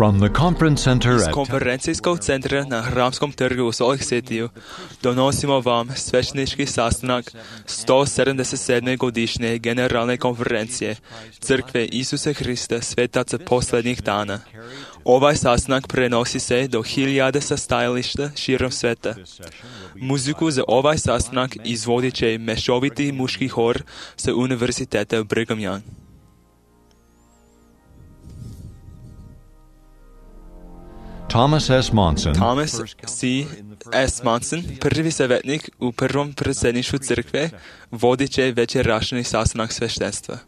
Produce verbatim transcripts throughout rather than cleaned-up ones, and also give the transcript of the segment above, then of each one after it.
From the conference center Iz at konferencijskog centra na Hramskom trgu u Salt Lake Cityu donosimo vam sveštenički sastanak sto sedamdeset sedme godišnje generalne konferencije Crkve Isusa Hrista svetaca posljednjih dana. Ovaj sastanak prenosi se do hiljade sastajališta širom sveta. Muziku za ovaj sastanak izvodit će mešoviti muški hor sa Univerziteta Brigham Young. Thomas S. Monson, Thomas C. S. Monson, prvi savjetnik u prvom predsjedništvu crkve, vodit će večerašnji sastanak sveštenstva.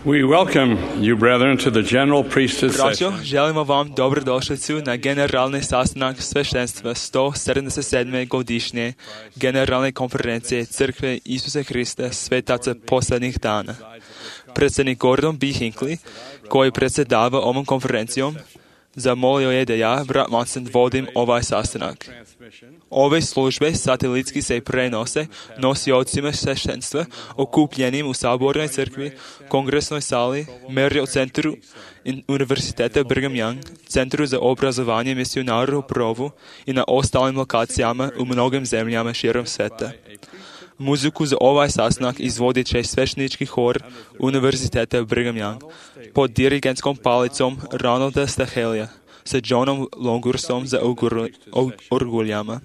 We welcome you, brethren, to the general priesthood Braćo, session. želimo vam dobrodošlicu na generalni sastanak sveštenstva sto sedamdeset sedme godišnje generalne konferencije Crkve Isusa Hrista svetaca posljednjih dana. Predsjednik Gordon B. Hinckley, koji predsjedava ovom konferencijom, zamolio je da ja, brat Monson, vodim ovaj sastanak. Ove službe satelitski se prenose nosiocima sveštenstva okupljenim u Sabornoj crkvi, Kongresnoj sali, Marriott centru Univerziteta Brigham Young, Centru za obrazovanje misionara u Provu i na ostalim lokacijama u mnogim zemljama širom sveta. Muziku za ovaj sastanak izvodit će sveštenički hor Univerziteta Brigham Young pod dirigentskom palicom Ronalda Stahelija sa Johnom Longursom za orguljama.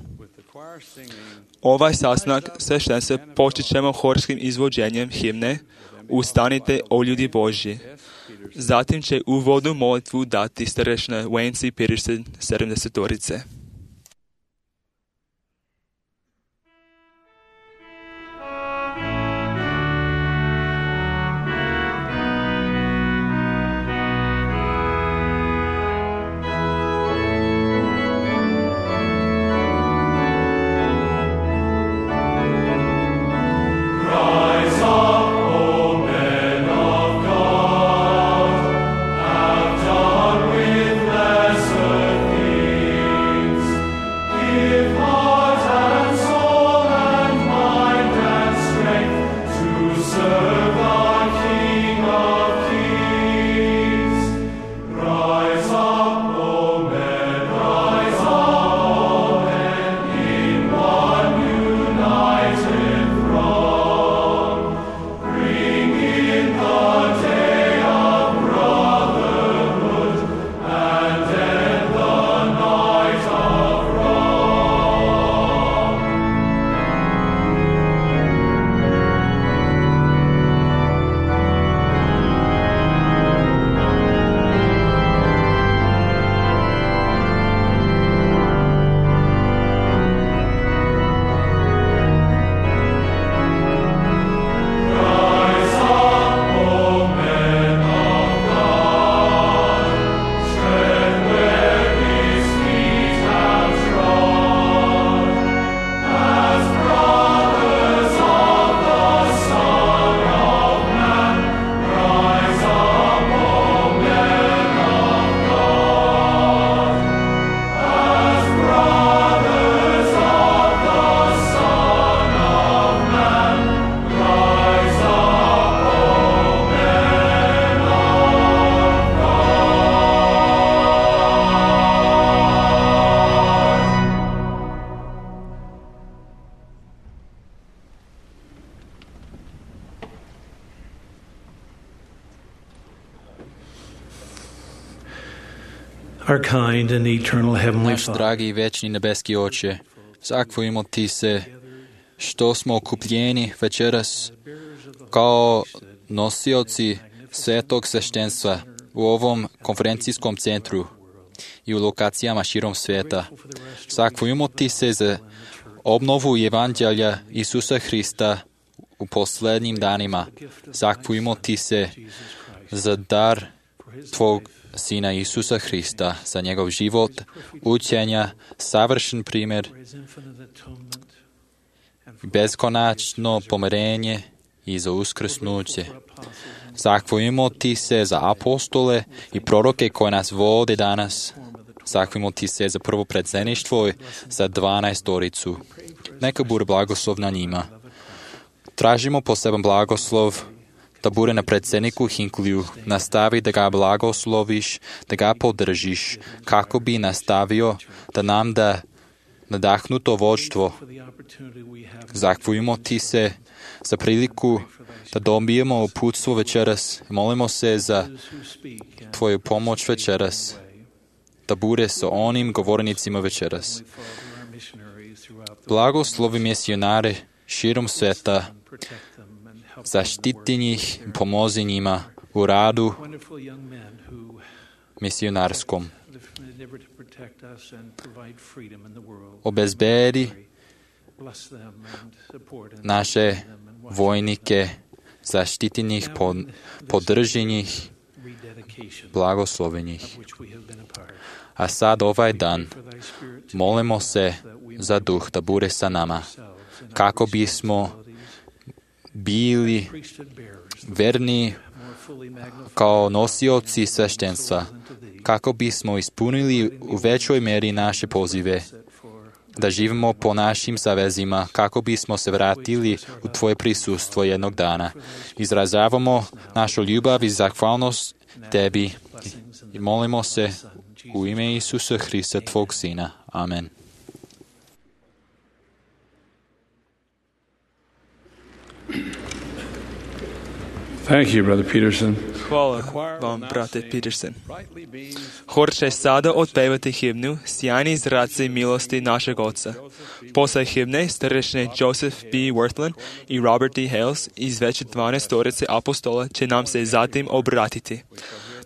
Ovaj sastanak sveštenstva počet ćemo horskim izvođenjem himne Ustanite, o ljudi Božji. Zatim će uvodnu molitvu dati starešina Wayne C. Peterson, sedamdesetorice. Our kind and eternal heavenly Naš Father, dragi i večni nebeski Oče, zahvaljujemo Ti se što smo okupljeni večeras kao nosioci svetog sveštenstva u ovom konferencijskom centru i u lokacijama širom sveta. Zahvaljujemo Ti se za obnovu evanđelja Isusa Hrista u posljednjim danima. Zahvaljujemo Ti se za dar Tvog Sina Isusa Hrista, za njegov život, učenja, savršen primjer, beskonačno pomirenje i za uskrsnuće. Zahvaljujemo Ti se za apostole i proroke koji nas vode danas. Zahvalimo ti se za prvo predsjedništvo i za dvanaestoricu. Neka bude blagoslov na njima. Tražimo poseban blagoslov da bude na predsjedniku Hinkliju. Nastavi da ga blagosloviš, da ga podržiš, kako bi nastavio da nam da nadahnuto vođstvo. Zahvaljujemo ti se za priliku da dobijemo uputstvo večeras. Molimo se za tvoju pomoć večeras, da bude sa onim govornicima večeras. Blagoslovi misionare širom sveta, zaštiti njih, pomozi njima u radu misionarskom. Obezbedi naše vojnike, zaštiti njih, podrži njih, blagoslovi njih. A sad ovaj dan molimo se za duh da bude sa nama, kako bismo bili verni kao nosioci sveštenstva, kako bismo ispunili u većoj meri naše pozive, da živimo po našim savezima, kako bismo se vratili u tvoje prisustvo jednog dana. Izražavamo našu ljubav i zahvalnost tebi i molimo se u ime Isusa Hrista, tvog sina. Amen. Thank you, Brother Peterson. Hvala vam, brate Peterson. Hor će sada otpevati himnu Sjajni zraci milosti našeg Oca. Posle himne starešine Joseph B. Worthland i Robert D. Hales iz već dvanaestorice apostola će nam se zatim obratiti.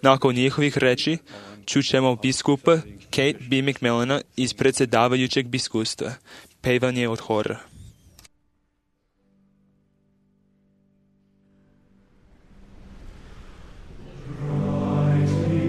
Nakon njihovih reči čućemo biskupa Kate B. McMillana iz predsjedavajućeg biskustva. Pevanje od hora. The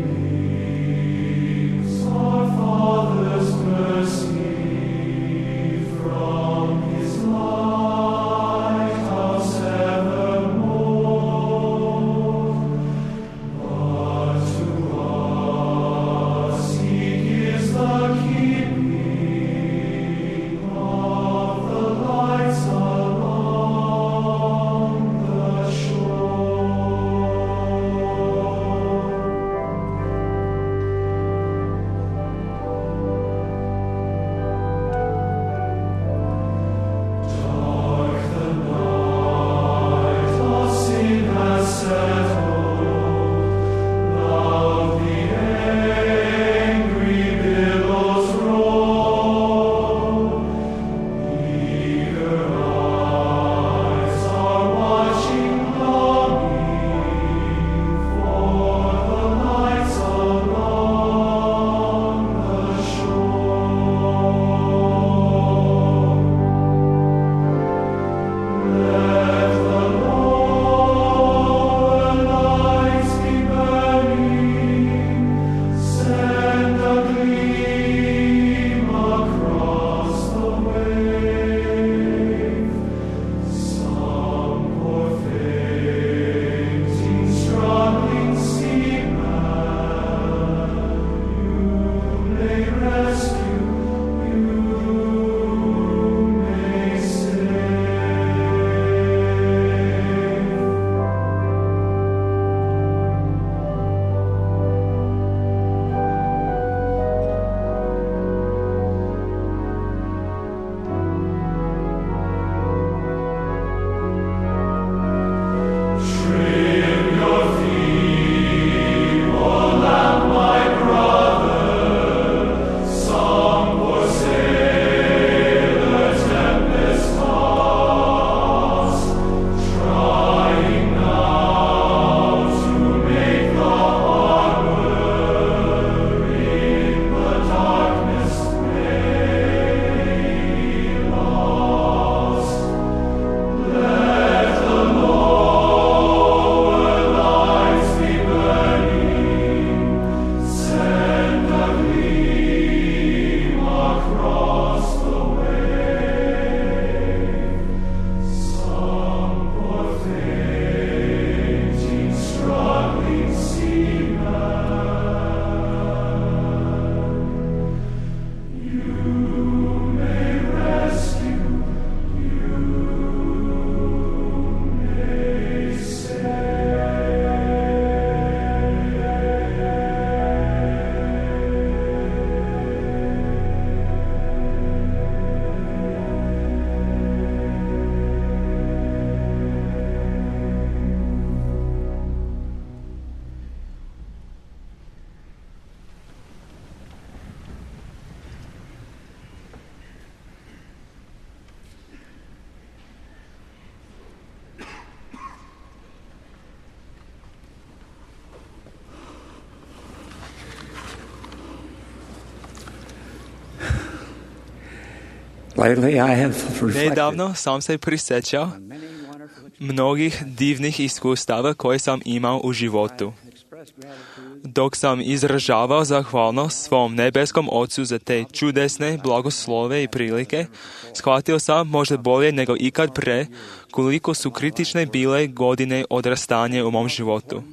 Lately I have reflected Nedavno sam se prisjećao on many wonderful mnogih divnih iskustava koje sam imao u životu. expressed gratitude Dok sam izražavao zahvalnost svom nebeskom Ocu za te čudesne blagoslove i prilike, shvatio sam možda bolje nego ikad pre koliko su kritične bile godine odrastanja u mom životu.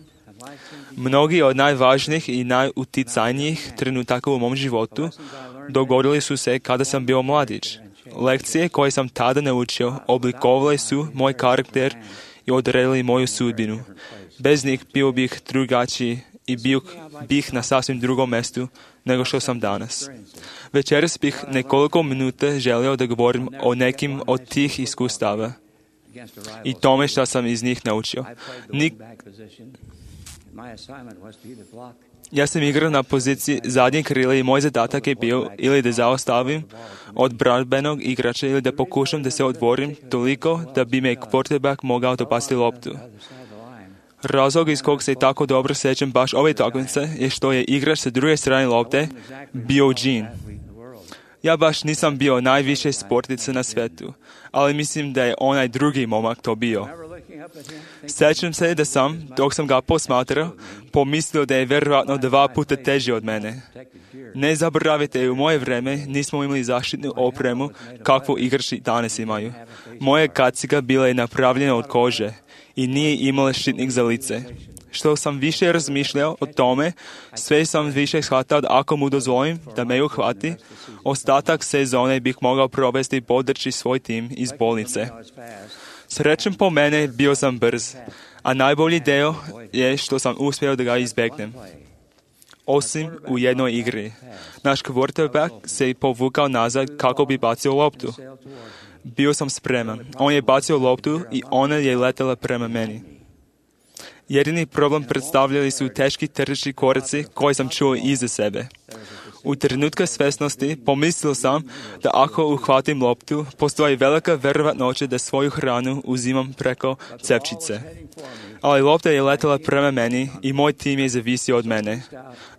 Mnogi od najvažnijih i najuticajnijih trenutaka u mom životu dogodili su se kada sam bio mladić. Lekcije koje sam tada naučio oblikovale su moj karakter i odredili moju sudbinu. Bez njih bio bih drugačiji i bio bih na sasvim drugom mjestu nego što sam danas. Večeras bih nekoliko minuta želio da govorim o nekim od tih iskustava against a rival. i tome što sam iz njih naučio. I played the Nik- wing-back position. My assignment was to either block Ja sam igrao na poziciji zadnje krila i moj zadatak je bio ili da zaostavim od branbenog igrača ili da pokušam da se odvorim toliko da bi me quarterback mogao dopasti loptu. the other side of the line. Razlog iz kog se tako dobro sjećam baš ove takmice je što je igrač sa druge strane lopte bio Gene. Athlete in the world. Ja baš nisam bio najviše sportica na svijetu, ali mislim da je onaj drugi momak to bio. Remember looking up at him, thinking, Sjećam se da sam, dok sam ga posmatrao, pomislio da je vjerojatno dva puta teži od mene. protected gear. Ne zaboravite, u moje vreme nismo imali zaštitnu opremu kakvu igrači danas imaju. Moja kaciga bila je napravljena od kože i nije imala štitnik za lice. Što sam više razmišljao o tome, sve sam više shvatao da ako mu dozvolim da me uhvati, ostatak sezone bih mogao provesti bodeći svoj tim iz bolnice. I was fast. Srećem po mene, bio sam brz, a najbolji deo je što sam uspio da ga izbjegnem. Osim u jednoj igri. Naš quarterback se povukao nazad kako bi bacio loptu. Sailed toward him. Bio sam spreman. On je bacio loptu i ona je letela prema meni. Jedini problem predstavljali su teški trčni koraci koje sam čuo iza sebe. U trenutku svjesnosti pomislio sam da ako uhvatim loptu, postoji velika vjerovatnoća da svoju hranu uzimam preko cepčice. Ali lopta je letela prema meni i moj tim je zavisio od mene.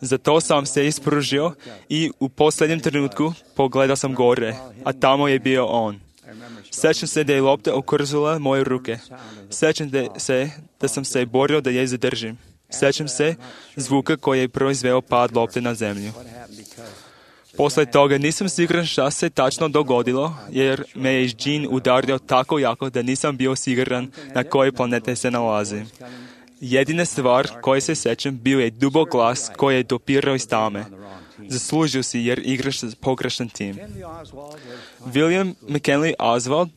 Zato sam se ispružio i u posljednjem trenutku pogledao sam gore, a tamo je bio on. Sjećam se da je lopta okrzula moje ruke. Sjećam se da sam se borio da je zadržim. Sjećam se zvuka koji je proizveo pad lopte na zemlju. Poslije toga nisam siguran šta se tačno dogodilo, jer me je Gene udario tako jako da nisam bio siguran na kojoj planete se nalazim. Jedina stvar koje se sjećam bio je dubok glas koji je dopirao iz tame. Zaslužio si jer igraš za pogrešan tim. William McKinley Oswald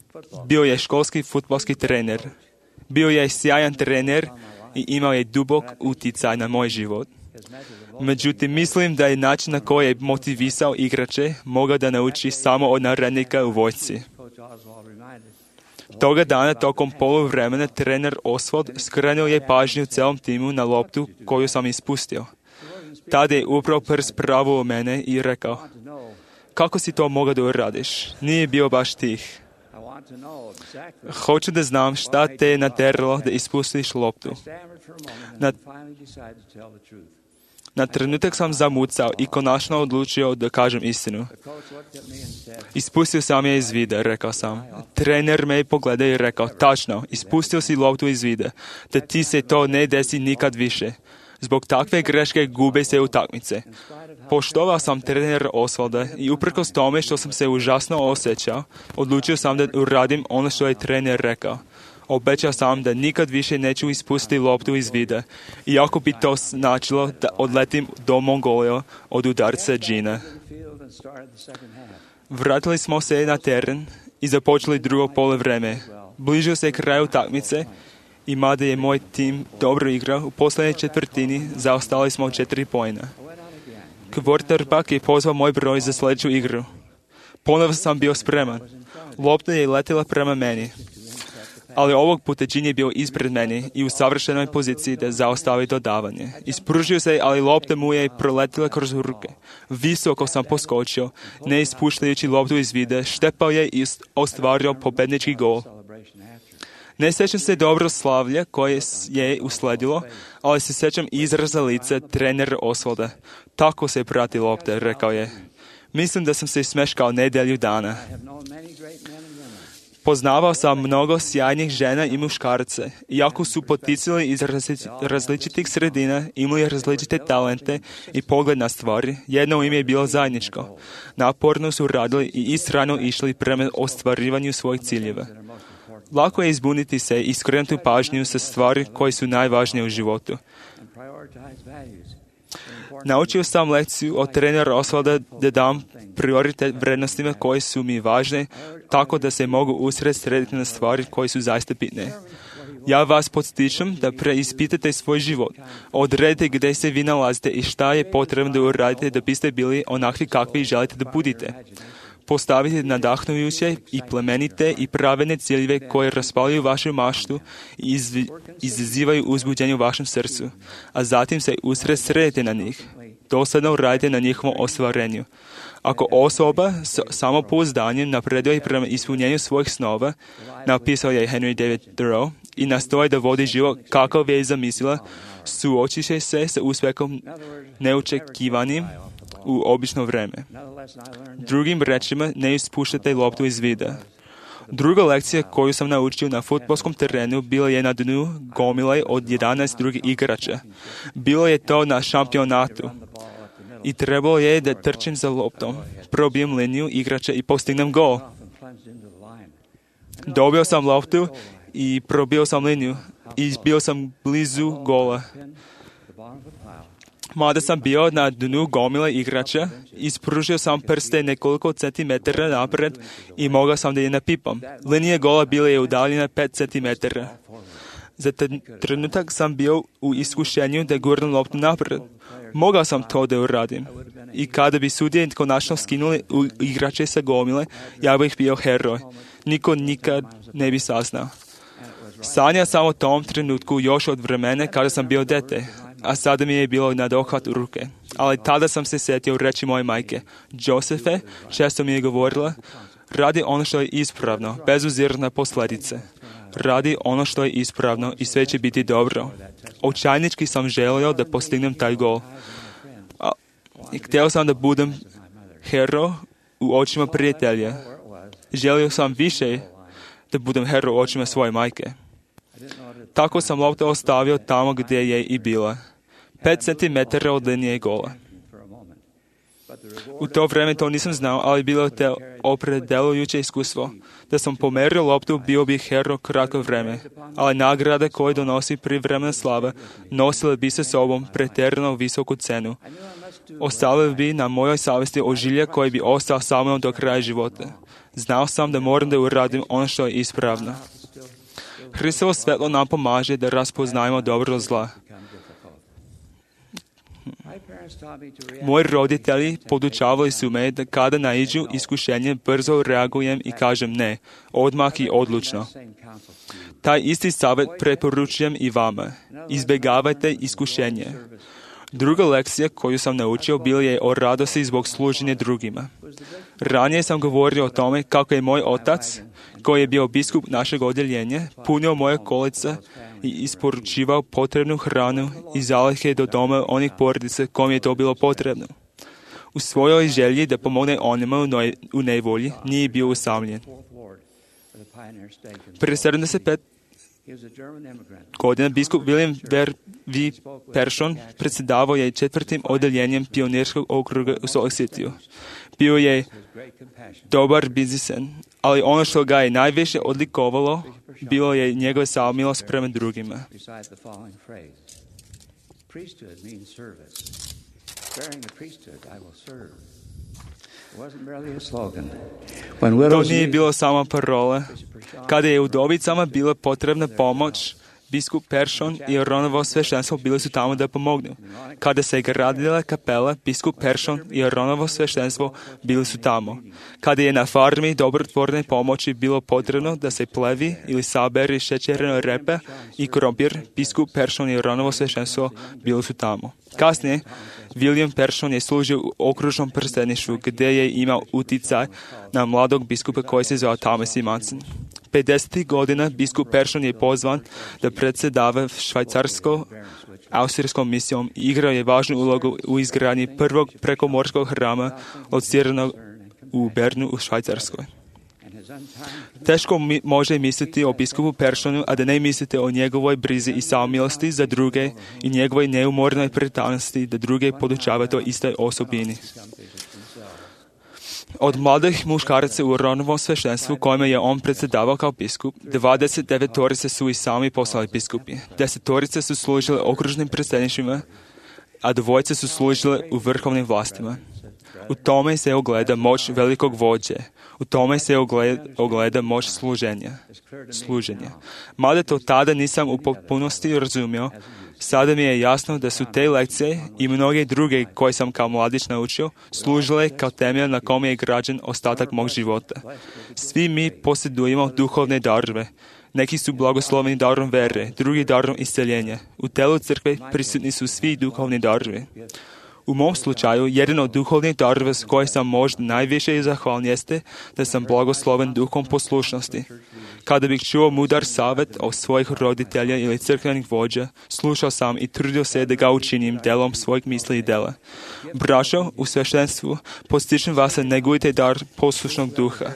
bio je školski fudbalski trener. Bio je sjajan trener i imao je dubok utjecaj na moj život. Međutim, mislim da je način na koji je motivisao igrače mogao da nauči samo od narednika u vojsci. Toga dana tokom poluvremena trener Oswald skrenuo je pažnju celom timu na loptu koju sam ispustio. Tada je upravo prst pravo u mene i rekao, kako si to mogao da uradiš? Nije bio baš tih. Hoću da znam šta te je nateralo da ispustiš loptu. Na, na trenutak sam zamucao i konačno odlučio da kažem istinu. Ispustio sam je iz vida, rekao sam. Trener me pogledao i rekao, tačno, ispustio si loptu iz vida, da ti se to ne desi nikad više. Zbog takve greške gube se utakmice. Poštovao sam trenera Oswalda i uprkos tome što sam se užasno osjećao, odlučio sam da uradim ono što je trener rekao. Obećao sam da nikad više neću ispustiti loptu iz vida, iako bi to značilo da odletim do Mongolije od udarca Gina. Vratili smo se na teren i započeli drugo poluvreme. Bližio se kraju utakmice i mada je moj tim dobro igrao, u posljednjoj četvrtini zaostali smo četiri poena. Quarterback je pozvao moj broj za sljedeću igru. Ponovo sam bio spreman. Lopta je letila prema meni. Ali ovog puta Gene je bio ispred meni i u savršenoj poziciji da zaostavi dodavanje. Ispružio se, ali lopta mu je proletila kroz ruke. Visoko sam poskočio, ne ispuštajući loptu iz vida, štepao je i ostvario pobednički gol. Ne sjećam se dobro slavlja koje je usledilo, ali se sjećam izraza lica trenera Oswalda. Tako se prati lopte, rekao je. Mislim da sam se smeškao nedelju dana. I have known many great men and women. Poznavao sam mnogo sjajnih žena i muškarce. Iako su poticali iz različi- različitih sredina, imali različite talente i pogled na stvari, jedno im je bilo zajedničko. Naporno su radili i istrajno išli prema ostvarivanju svojih ciljeva. Lako je izbuniti se i skrenuti pažnju sa stvari koje su najvažnije u životu. And prioritize values. Naučio sam lekciju od trenera Osvalda da dam prioritet vrednostima koje su mi važne, tako da se mogu usredsrediti na stvari koje su zaista bitne. Ja vas podstičem da preispitate svoj život. Odredite gdje se vi nalazite i šta je potrebno da uradite da biste bili onakvi kakvi želite da budite. Postavite nadahnujuće i plemenite i pravedne ciljeve koje raspaljuju vašu maštu i izvi- izazivaju uzbuđenje u vašem srcu, a zatim se usredsredite na njih. Dosadno radite na njihovom ostvarenju. Ako osoba s samopouzdanjem napreduje prema ispunjenju svojih snova, napisao je Henry David Thoreau, i nastoji da vodi život kakav je zamislila, suočit će se sa uspjehom neočekivanim u obično vreme. Another lesson I learned Drugim rečima, ne ispuštate loptu iz vida. Druga lekcija koju sam naučio na fudbalskom terenu bila je na dnu gomile od jedanaest drugih igrača. Bilo je to na šampionatu. I trebalo je da trčim za loptom, probijem liniju igrača i postignem gol. and plunged into the line. Dobio sam loptu i probio sam liniju i bio sam blizu gola. Pin the bottom of the pile. Mada sam bio na dnu gomile igrača, ispružio sam prste nekoliko centimetara napred i mogao sam da je napipam. Linija gola bila je udaljena pet centimetara. Za ten- trenutak sam bio u iskušenju da gurnem loptu napred. Mogao sam to da uradim. I kada bi sudije konačno skinuli u igrače sa gomile, ja bih bio heroj. Niko nikad ne bi saznao. Sanjao sam o tom trenutku još od vremena kada sam bio dete, a sada mi je bilo na dohvat ruke. Ali tada sam se sjetio reći moje majke: Josefe, često mi je govorila, radi ono što je ispravno, bez obzira na posljedice. Radi ono što je ispravno i sve će biti dobro. Očajnički sam želio da postignem taj gol. A, i htio sam da budem hero u očima prijatelja. Želio sam više da budem hero u očima svoje majke. Tako sam loptu ostavio tamo gdje je i bila. Pet centimetara od linije gola. For a moment. But the reward U to vrijeme to nisam znao, ali bilo je te opredelujuće iskustvo. Da sam pomerio loptu, bio bih hero kratko vrijeme, ali nagrada koje donosi privremena slava nosila bi sa sobom pretjerano visoku cenu. Ostavili bi na mojoj savjesti ožilje koji bi ostao sa mnom do kraja života. Znao sam da moram da uradim ono što je ispravno. Hristovo svetlo nam pomaže da raspoznajemo dobro od zla. my parents taught me to react. Moji roditelji podučavali su me da kada naiđu iskušenje, brzo reagujem i kažem ne, odmah i odlučno. Same counsel to you. Taj isti savjet preporučujem i vama. Izbjegavajte iskušenje. Druga lekcija koju sam naučio bila je o radosti zbog služenja drugima. Ranije sam govorio o tome kako je moj otac, koji je bio biskup našeg odjeljenja, punio moje kolica i isporučivao potrebnu hranu i zalihe do doma onih porodica kojim je to bilo potrebno. U svojoj želji da pomogne onima u noj- u nevolji nije bio usamljen. Fourth Ward of the Pioneer State. Prije sedamdeset pet He was a German immigrant. godina biskup William Vervi Persson predsjedavao je četvrtim odjeljenjem pionirskog okruga u Salt Lake Cityu. Bio je His great compassion. dobar biznismen, ali ono što ga je najviše odlikovalo bilo je njegova samilost prema drugima. Beside the following phrase. Priesthood means service. Bearing the priesthood, I will serve. It wasn't merely a slogan. When To widows nije needed- bilo samo parola. Kada je udovicama bila potrebna pomoć, biskup Persson i Aronovo sveštenstvo bili su tamo da pomognu. Kada se gradila kapela, biskup Persson i Aronovo sveštenstvo bili su tamo. Kada je na farmi dobrotvorne pomoći bilo potrebno da se plevi ili saberi šećerne repe i krompir, biskup Persson i Aronovo sveštenstvo bili su tamo. Kasnije, William Persson je služio u okružnom prsteništvu gdje je imao uticaj na mladog biskupa koji se zvao Thomas E. Monson. pedesetih godina biskup Persson je pozvan da predsjedava švajcarsko austrijskom misijom i igrao je važnu ulogu u izgradnji prvog prekomorskog hrama lociranog u Bernu u Švajcarskoj. Teško mi može misliti o biskupu Peršonu, a da ne mislite o njegovoj brizi i samomilosti za druge i njegovoj neumornoj predanosti da druge podučava toj istoj osobini. Od mladih muškaraca u Aronovom sveštenstvu kojima je on predsjedavao kao biskup, dvadeset devetorice su i sami postali biskupi. Desetorice su služile okružnim predsjedništvima, a dvojice su služile u vrhovnim vlastima. U tome se ogleda moć velikog vođe. U tome se ogleda, ogleda moć služenja. služenja. Mada to tada nisam u potpunosti razumio, sada mi je jasno da su te lekcije i mnoge druge koje sam kao mladić naučio služile kao temelj na kome je građen ostatak mog života. Svi mi posjedujemo duhovne darove. Neki su blagosloveni darom vere, drugi darom isceljenja. U telu crkve prisutni su svi duhovni darovi. U mom slučaju, jedan od duhovnih darova s koje sam možda najviše zahvalan jeste da sam blagosloven duhom poslušnosti. Kada bih čuo mudar savjet od svojih roditelja ili crkvenih vođa, slušao sam i trudio se da ga učinim delom svojih misli i dela. Braćo, u sveštenstvu, postičem vas da negujte dar poslušnog duha.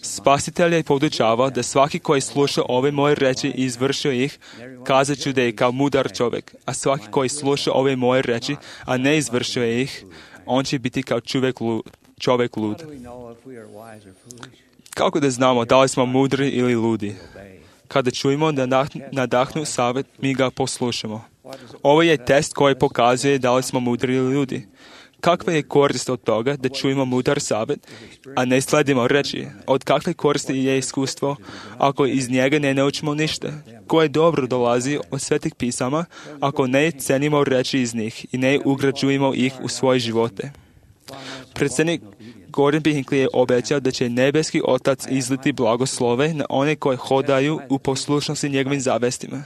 Spasitelj je podučavao da svaki koji sluša ove moje reči i izvršio ih, kazat ću da je kao mudar čovjek, a svaki koji sluša ove moje reči, a ne izvršio ih, on će biti kao čovjek lud. Čovjek lud. Kako da znamo da li smo mudri ili ludi? Kada čujemo da nadahnu savjet, mi ga poslušamo. Ovo je test koji pokazuje da li smo mudri ili ludi. Kakva je korist od toga da čujemo mudar savjet, a ne sledimo reči? Od kakve koristi je iskustvo ako iz njega ne naučimo ništa? Koje dobro dolazi od svetih pisama ako ne cenimo reči iz njih i ne ugrađujemo ih u svoje živote? Predsjednik Gordon B. Hinckley je obećao da će nebeski Otac izliti blagoslove na one koji hodaju u poslušnosti njegovim zavestima.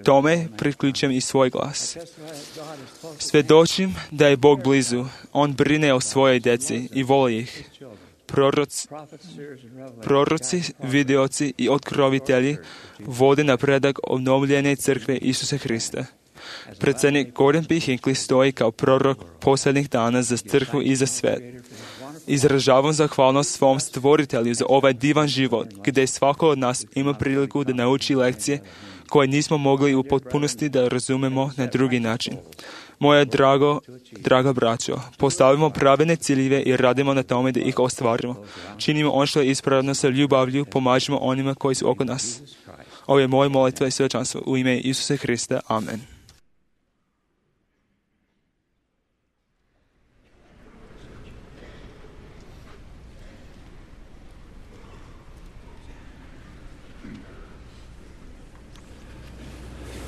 Tome priključujem i svoj glas. Svjedočim da je Bog blizu. On brine o svojoj djeci i voli ih. Proroci, proroci, vidioci i otkrovitelji vode napredak obnovljene crkve Isusa Hrista. Predsjednik Gordon B. Hinckley stoji kao prorok posljednjih dana za crkvu i za svet. Izražavam zahvalnost svom stvoritelju za ovaj divan život, gdje svako od nas ima priliku da nauči lekcije koje nismo mogli u potpunosti da razumemo na drugi način. Moje drago, draga braćo, postavimo pravilne ciljeve i radimo na tome da ih ostvarimo. Činimo ono što je ispravno sa ljubavlju, pomažimo onima koji su oko nas. Ovo je moja molitva i svečanstvo u ime Isusa Hrista. Amen.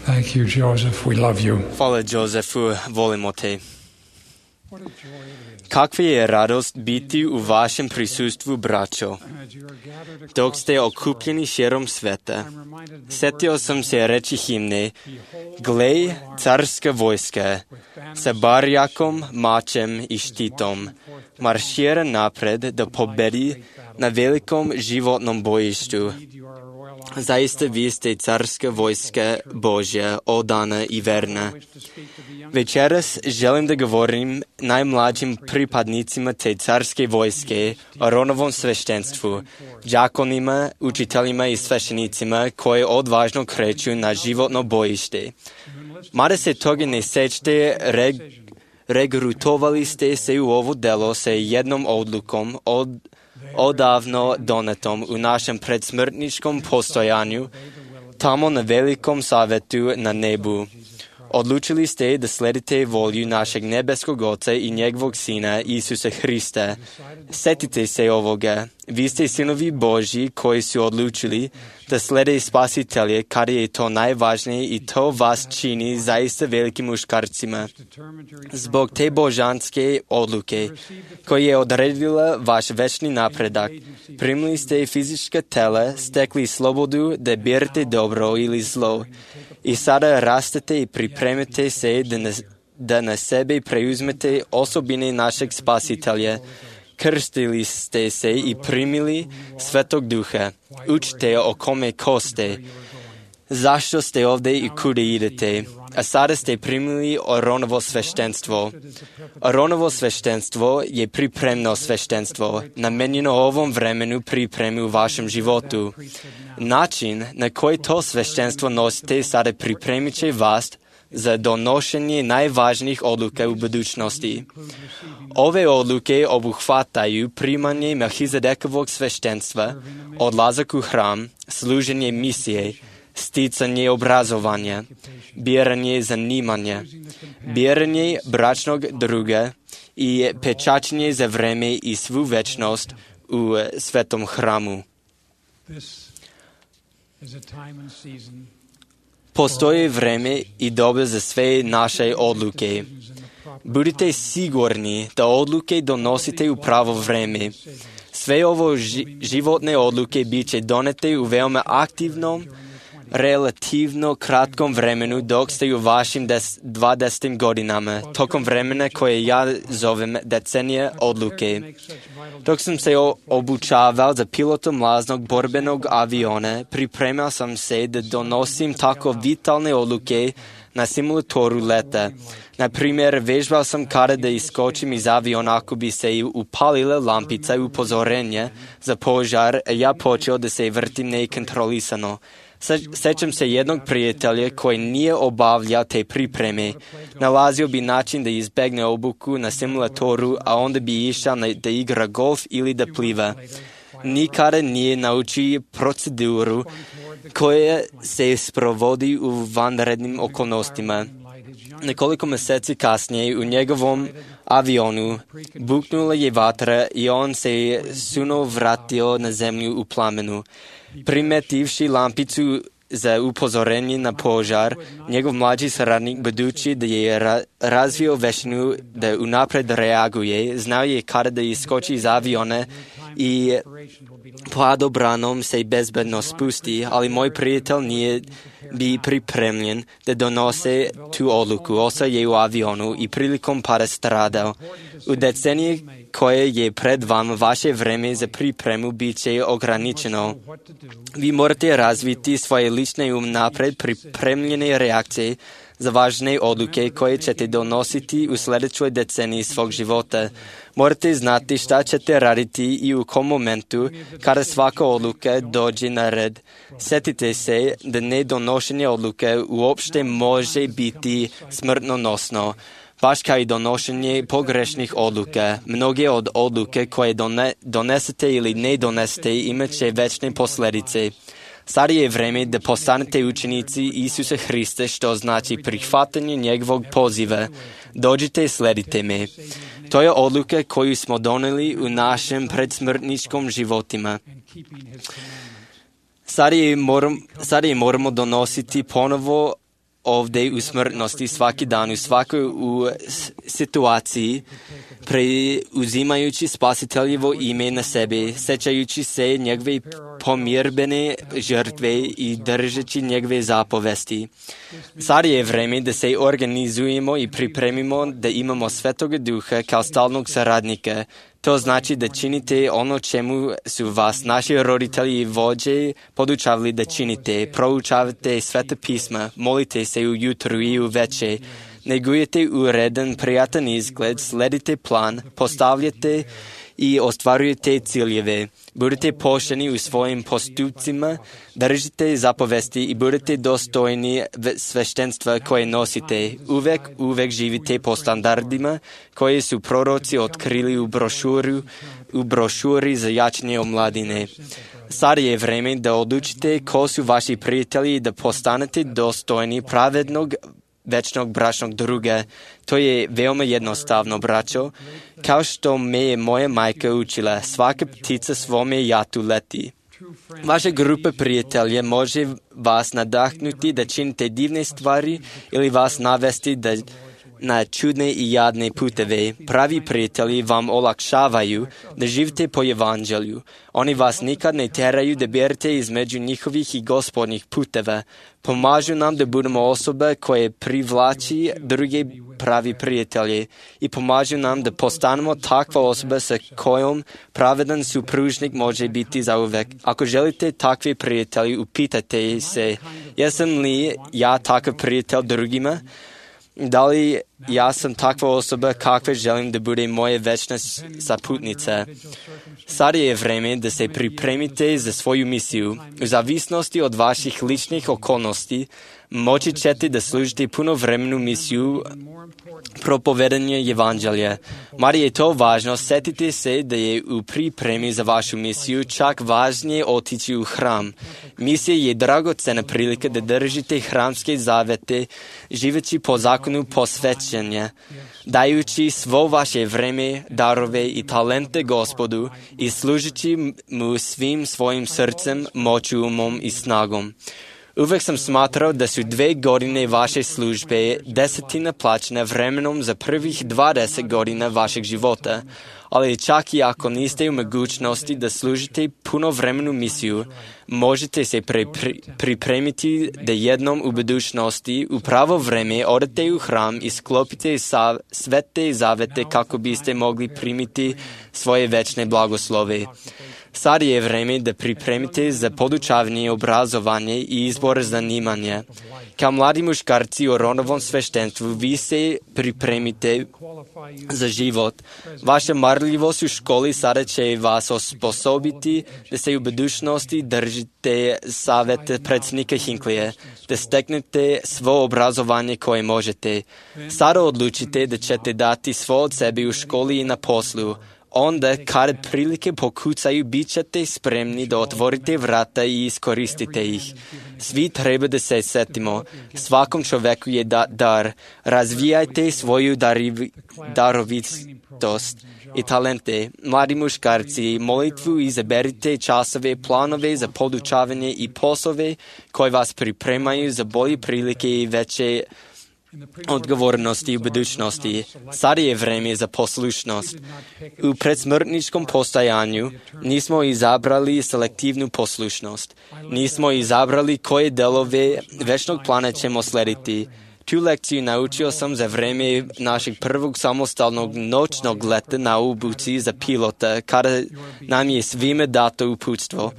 Thank you, Joseph. We love you. Hvala, Josefu, volimo te. Kakva je radost biti u vašem prisustvu, braćo, dok ste okupljeni širom sveta. Sjetio sam se reći himne: Glej, carska vojska, sa barjakom, mačem i štitom, maršira napred da pobedi na velikom životnom bojištu. Zaista vi ste carska vojska Božja, odana i verna. Večeras želim da govorim najmlađim pripadnicima te carske vojske, Aronovom sveštenstvu, đakonima, učiteljima i sveštenicima koji odvažno kreću na životno bojište. Mada se toga ne sećate, reg, regrutovali ste se u ovo delo sa jednom odlukom od odavno donetom u našem predsmrtničkom postojanju, tamo na velikom savjetu na nebu. Odlučili ste da sledite volju našeg nebeskog Oca i njegovog Sina Isusa Hrista. Sjetite se ovoga. Vi ste sinovi Božji koji su odlučili da slede Spasitelje kada je to najvažnije i to vas čini zaista velikim muškarcima. Zbog te božanske odluke koja je odredila vaš večni napredak, primili ste fizička tela, stekli slobodu da birate dobro ili zlo. I sada rastete i pripremite se da na, da na sebe preuzmete osobine našeg Spasitelja. Krstili ste se i primili Svetog Duha. Učite o kome ko ste. zašto ste ovdje i kuda idete, a sada ste primili Aronovo sveštenstvo. Aronovo sveštenstvo je pripremno sveštenstvo, namenjeno ovom vremenu pripremi u vašem životu. Način na koji to sveštenstvo nosite sada pripremit će vas za donošenje najvažnijih odluka u budućnosti. Ove odluke obuhvataju primanje Melhizedekovog sveštenstva, odlazak u hram, služenje misije, sticanje obrazovanja, biranje zanimanja, biranje bračnog druga i pečačenje za vreme i svu večnost u svetom hramu. Postoji vreme i doba za sve naše odluke. Budite sigurni da odluke donosite u pravo vreme. Sve ovo ži- životne odluke bit će donete u veoma aktivnom, relativno kratkom vremenu dok ste u vašim des, dvadesetim godinama, tokom vremena koje ja zovem decenije odluke. Dok sam se o, obučavao za pilotom mlaznog borbenog aviona, pripremao sam se da donosim tako vitalne odluke na simulatoru leta. Na primjer, vežbao sam kada da iskočim iz aviona ako bi se upalila lampica upozorenja za požar, a ja počeo da se vrtim nekontrolisano. Sećam se jednog prijatelja koji nije obavljao te pripreme. Nalazio bi način da izbegne obuku na simulatoru, a onda bi išao na, da igra golf ili da pliva. Nikada nije naučio proceduru koja se sprovodi u vanrednim okolnostima. Nekoliko mjeseci kasnije u njegovom avionu buknula je vatra i on se suno vratio na zemlju u plamenu. Primetivši lampicu za upozorenje na požar, njegov mlađi saradnik, budući da je ra- razvio veštinu da unapred reaguje, znao je kada da iskoči iz aviona i padobranom se bezbedno spusti, ali moj prijatelj nije bi pripremljen da donose tu odluku. Ostao je u avionu i prilikom pada stradao. U deceniji koje je pred vama, vaše vreme za pripremu bit će ograničeno. Vi morate razviti svoje lične i unapred pripremljene reakcije za važne odluke koje ćete donositi u sljedećoj deceniji svog života. Morate znati šta ćete raditi i u kom momentu kada svaka odluka dođe na red. Sjetite se da nedonošenje odluke uopšte može biti smrtonosno. Baš kao i donošenje pogrešnih odluka, mnoge od odluke koje done, donesete ili ne donesete imat će večne posljedice. Sad je vreme da postanete učenici Isusa Hrista, što znači prihvatanje njegovog poziva. Dođite i sledite me. To je odluka koju smo doneli u našem predsmrtničkom životima. Sad je, moram, sad je moramo donositi ponovo ovdje u smrtnosti svaki dan, u svakoj u situaciji, preuzimajući spasiteljevo ime na sebe, sećajući se njegove pomirbene žrtve i držeći njegove zapovesti. Sad je vreme da se organizujemo i pripremimo da imamo Svetoga Duha kao stalnog saradnika. To znači da činite ono čemu su vas naši roditelji i vođe podučavali da činite. Proučavate Sveta pisma, molite se ujutru i uveče, negujete uredan, prijatan izgled, sledite plan, postavljate i ostvarujete ciljeve. Budete pošteni u svojim postupcima, držite zapovesti i budete dostojni sveštenstva koje nosite. Uvek, uvek živite po standardima koje su proroci otkrili u brošuru, u brošuri za jačanje omladine. Sad je vreme da odlučite ko su vaši prijatelji i da postanete dostojni pravednog večnog bračnog druga. To je veoma jednostavno, braćo. Kao što me je moja majka učila, svaka ptica svome jatu leti. Vaša grupa prijatelja može vas nadahnuti da činite divne stvari ili vas navesti da na čudne i jadne puteve. Pravi prijatelji vam olakšavaju da živite po evanđelju. Oni vas nikad ne teraju da berete između njihovih i gospodnjih puteva. Pomažu nam da budemo osobe koje privlači druge pravi prijatelje i pomažu nam da postanemo takva osoba sa kojom pravedan supružnik može biti zauvek. Ako želite takve prijatelji, upitajte se, jesam li ja takav prijatelj drugima? Da li ja sam takva osoba kakve želim da bude moja večna saputnica? Sada je vreme da se pripremite za svoju misiju. U zavisnosti od vaših ličnih okolnosti, moći ćete da služite punovremenu misiju propovedanja evanđelja. Mada je to važno, setite se da je u pripremi za vašu misiju čak važnije otići u hram. Misija je dragocena prilika da držite hramske zavete, živeći po zakonu posvećenja, dajući svo vaše vreme, darove i talente Gospodu i služeći mu svim svojim srcem, moću, umom i snagom. Uvek sam smatrao da su dve godine vaše službe desetina plaćena vremenom za prvih dvadeset godina vašeg života, ali čak i ako niste u mogućnosti da služite punovremenu misiju, možete se pre, pri, pripremiti da jednom u budućnosti u pravo vreme odete u hram i sklopite sa, sve te zavete kako biste mogli primiti svoje večne blagoslove. Sad je vreme da pripremite za podučavanje, obrazovanje i izbor zanimanja. Kao mladi muškarci u rodovom sveštenstvu, vi se pripremite za život. Vaša marljivost u školi sada će vas osposobiti da se u budućnosti držite savete predsjednika Hinckleyja, da steknete svo obrazovanje koje možete. Sada odlučite da ćete dati svo od sebe u školi i na poslu. Onda, kada prilike pokucaju, bit ćete spremni da otvorite vrata i iskoristite ih. Svi treba da se setimo. Svakom čoveku je da, dar. Razvijajte svoju dariv, darovitost i talente. Mladi muškarci, molitvu izaberite časove, planove za podučavanje i poslove koji vas pripremaju za bolje prilike i veće odgovornosti u budućnosti. Sada je vreme za poslušnost. U predsmrtničkom postojanju nismo izabrali selektivnu poslušnost. Nismo izabrali koje delove večnog plana ćemo slediti. Tu lekciju naučio sam za vreme našeg prvog samostalnog noćnog leta na obuci za pilota, kada nam je svime dato uputstvo.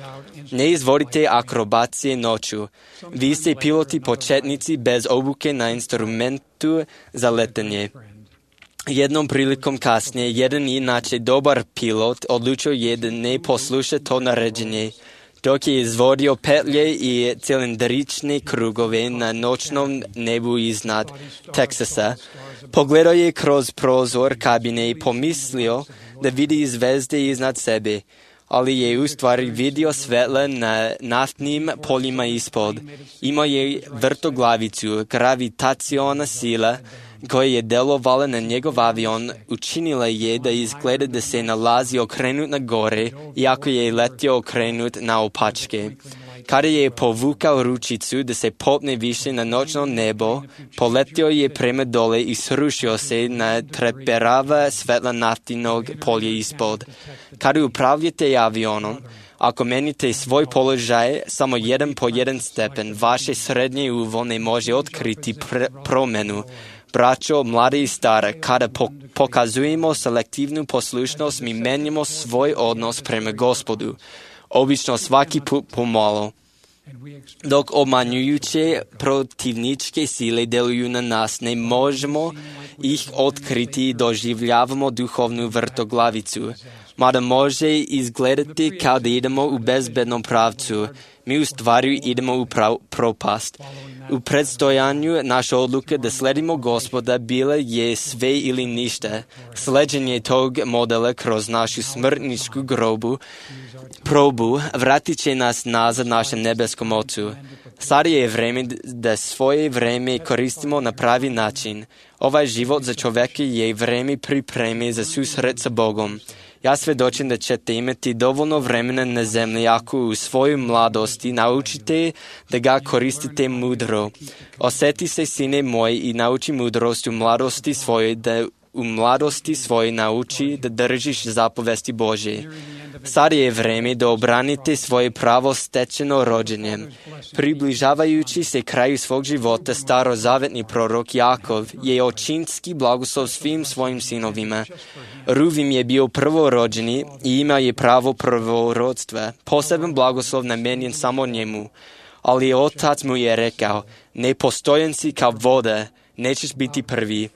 Ne izvodite akrobacije noću. Vi ste piloti početnici bez obuke na instrumentu za letanje. Jednom prilikom kasnije, jedan inače dobar pilot odlučio je da ne posluša to naređenje. Dok je izvodio petlje i cilindrične krugove na noćnom nebu iznad Teksasa, pogledao je kroz prozor kabine i pomislio da vidi zvezde iznad sebe, ali je u stvari vidio svetla na naftnim poljima ispod. Imao je vrtoglavicu, gravitaciona sila koja je delovala na njegov avion, učinila je da izgleda da se nalazi okrenut na gore, iako je letio okrenut na opačke. Kada je povukao ručicu da se popne više na noćno nebo, poletio je prema dole i srušio se na treperava svetla naftinog polja ispod. Kada upravljate avionom, ako menite svoj položaj samo jedan po jedan stepen, vaše srednje uvo ne može otkriti pr- promenu. Braćo, mlade i stare, kada po- pokazujemo selektivnu poslušnost, mi menjamo svoj odnos prema Gospodu. Obično svaki put pomalo. Dok obmanjujuće protivničke sile deluju na nas, ne možemo ih otkriti i doživljavamo duhovnu vrtoglavicu. Mada može izgledati kao da idemo u bezbednom pravcu, mi u stvari idemo u prav- propast. U predstojanju naša odluka da sledimo Gospoda bila je sve ili ništa. Sleđenje tog modela kroz našu smrtničku grobu, probu, vratit će nas nazad našem nebeskom Ocu. Sada je vreme da svoje vreme koristimo na pravi način. Ovaj život za čoveka je vreme pripreme za susret sa Bogom. Ja svedočim da ćete imati dovoljno vremena na zemlji ako u svojoj mladosti naučite da ga koristite mudro. Osjeti se, sine moj, i nauči mudrost u mladosti svojoj, da u mladosti svojoj nauči da držiš zapovesti Božje. Sad je vreme da obranite svoje pravo stečeno rođenjem. Približavajući se kraju svog života, starozavetni prorok Jakov je očinski blagoslov svim svojim sinovima. Ruvim je bio prvorođeni i imao je pravo prvorodstva. Poseban blagoslov namenjen samo njemu. Ali otac mu je rekao, nepostojan si kao voda, nećeš biti prvi.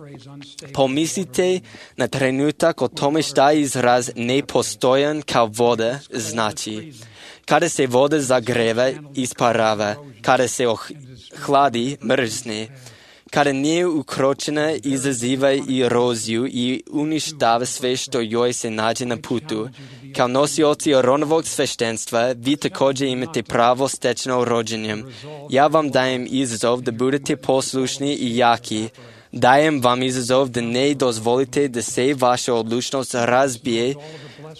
Pomislite na trenutak o tome šta izraz nepostojan kao voda znači. Kada se voda zagreva, isparava. Kada se ohladi, mrzne. Kada nije ukročena, izaziva eroziju i uništava sve što joj se nađe na putu. Kao nosioci Aronovog sveštenstva, vi također imate pravo stečeno rođenjem. Ja vam dajem izazov da budete poslušni i jaki. Dajem vam izazov da ne dozvolite da se vaša odlučnost razbije,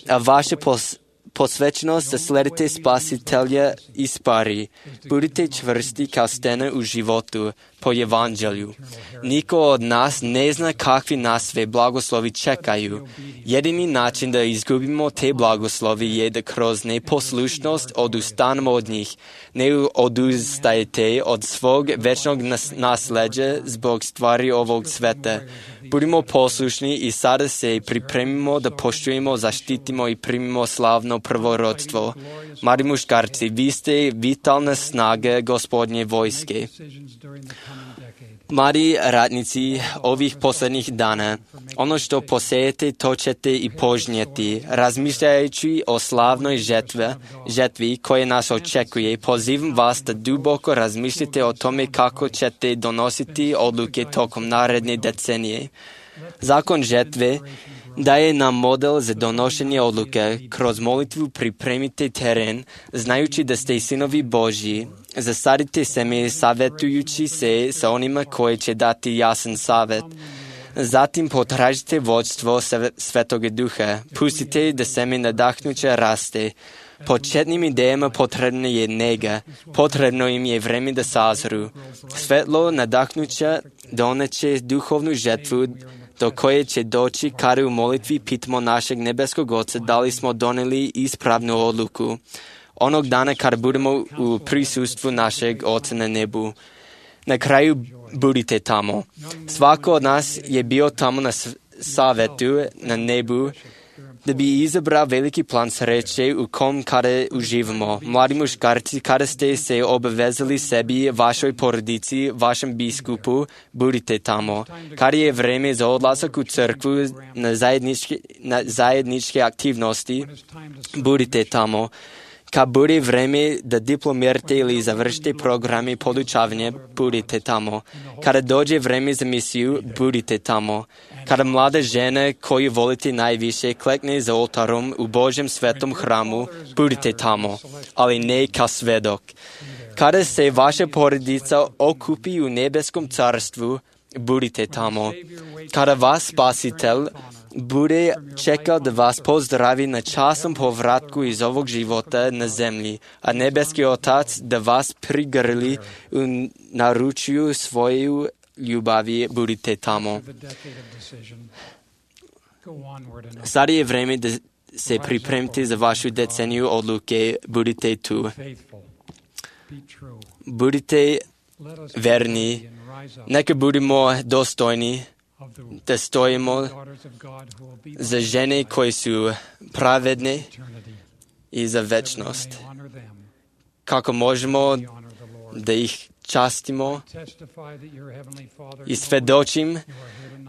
a vaša pos posvećenost da sledite Spasitelja ispari. Budite čvrsti kao stena u životu po evanđelju. Niko od nas ne zna kakvi nas sve blagoslovi čekaju. Jedini način da izgubimo te blagoslovi je da kroz neposlušnost odustanemo od njih. Ne odustajte od svog večnog nas nasleđa zbog stvari ovog sveta. Budimo poslušni i sada se pripremimo da poštujemo, zaštitimo i primimo slavno prvorodstvo. Mladi muškarci, vi ste vitalna snaga Gospodnje vojske. Mladi ratnici ovih posljednjih dana, ono što posejete, to ćete i požnjeti. Razmišljajući o slavnoj žetvi, žetvi koje nas očekuje, pozivam vas da duboko razmišljate o tome kako ćete donositi odluke tokom naredne decenije. Zakon žetve daje nam model za donošenje odluke. Kroz molitvu pripremite teren, znajući da ste sinovi Božji. Zasadite seme savjetujući se sa onima koji će dati jasan savjet. Zatim potražite vodstvo Svetoga Duha. Pustite da seme nadahnuće raste. Početnim idejama potrebna je nega. Potrebno im je vreme da sazru. Svetlo nadahnuća doneće duhovnu žetvu do koje će doći kada u molitvi pitamo našeg nebeskog Oca da li smo doneli ispravnu odluku. Onog dana kada budemo u prisustvu našeg Oca na nebu. Na kraju budite tamo. Svako od nas je bio tamo na savjetu na nebu da bi izabrao veliki plan sreće u kom kada uživamo. Mladi muškarci, kada ste se obavezali sebi, vašoj porodici, vašem biskupu, budite tamo. Kada je vreme za odlazak u crkvu na zajedničke, na zajedničke aktivnosti, budite tamo. Kad bude vreme da diplomirate ili završite programe podučavanja, budite tamo. Kada dođe vreme za misiju, budite tamo. Kada mlada žena koju volite najviše klekne za oltarom u Božjem svetom hramu, budite tamo, ali ne kao svedok. Kada se vaša porodica okupi u nebeskom carstvu, budite tamo. Kada vas Spasitelj bude čekao da vas pozdravi na časnom povratku iz ovog života na zemlji, a nebeski Otac da vas prigrli u naručju svoju ljubavi, budite tamo. Sad je vreme da se pripremite za vašu deceniju odluke, budite tu. Budite verni, neka budemo dostojni da stojimo za žene koje su pravedne i za večnost. Kako možemo da ih častimo i svedočim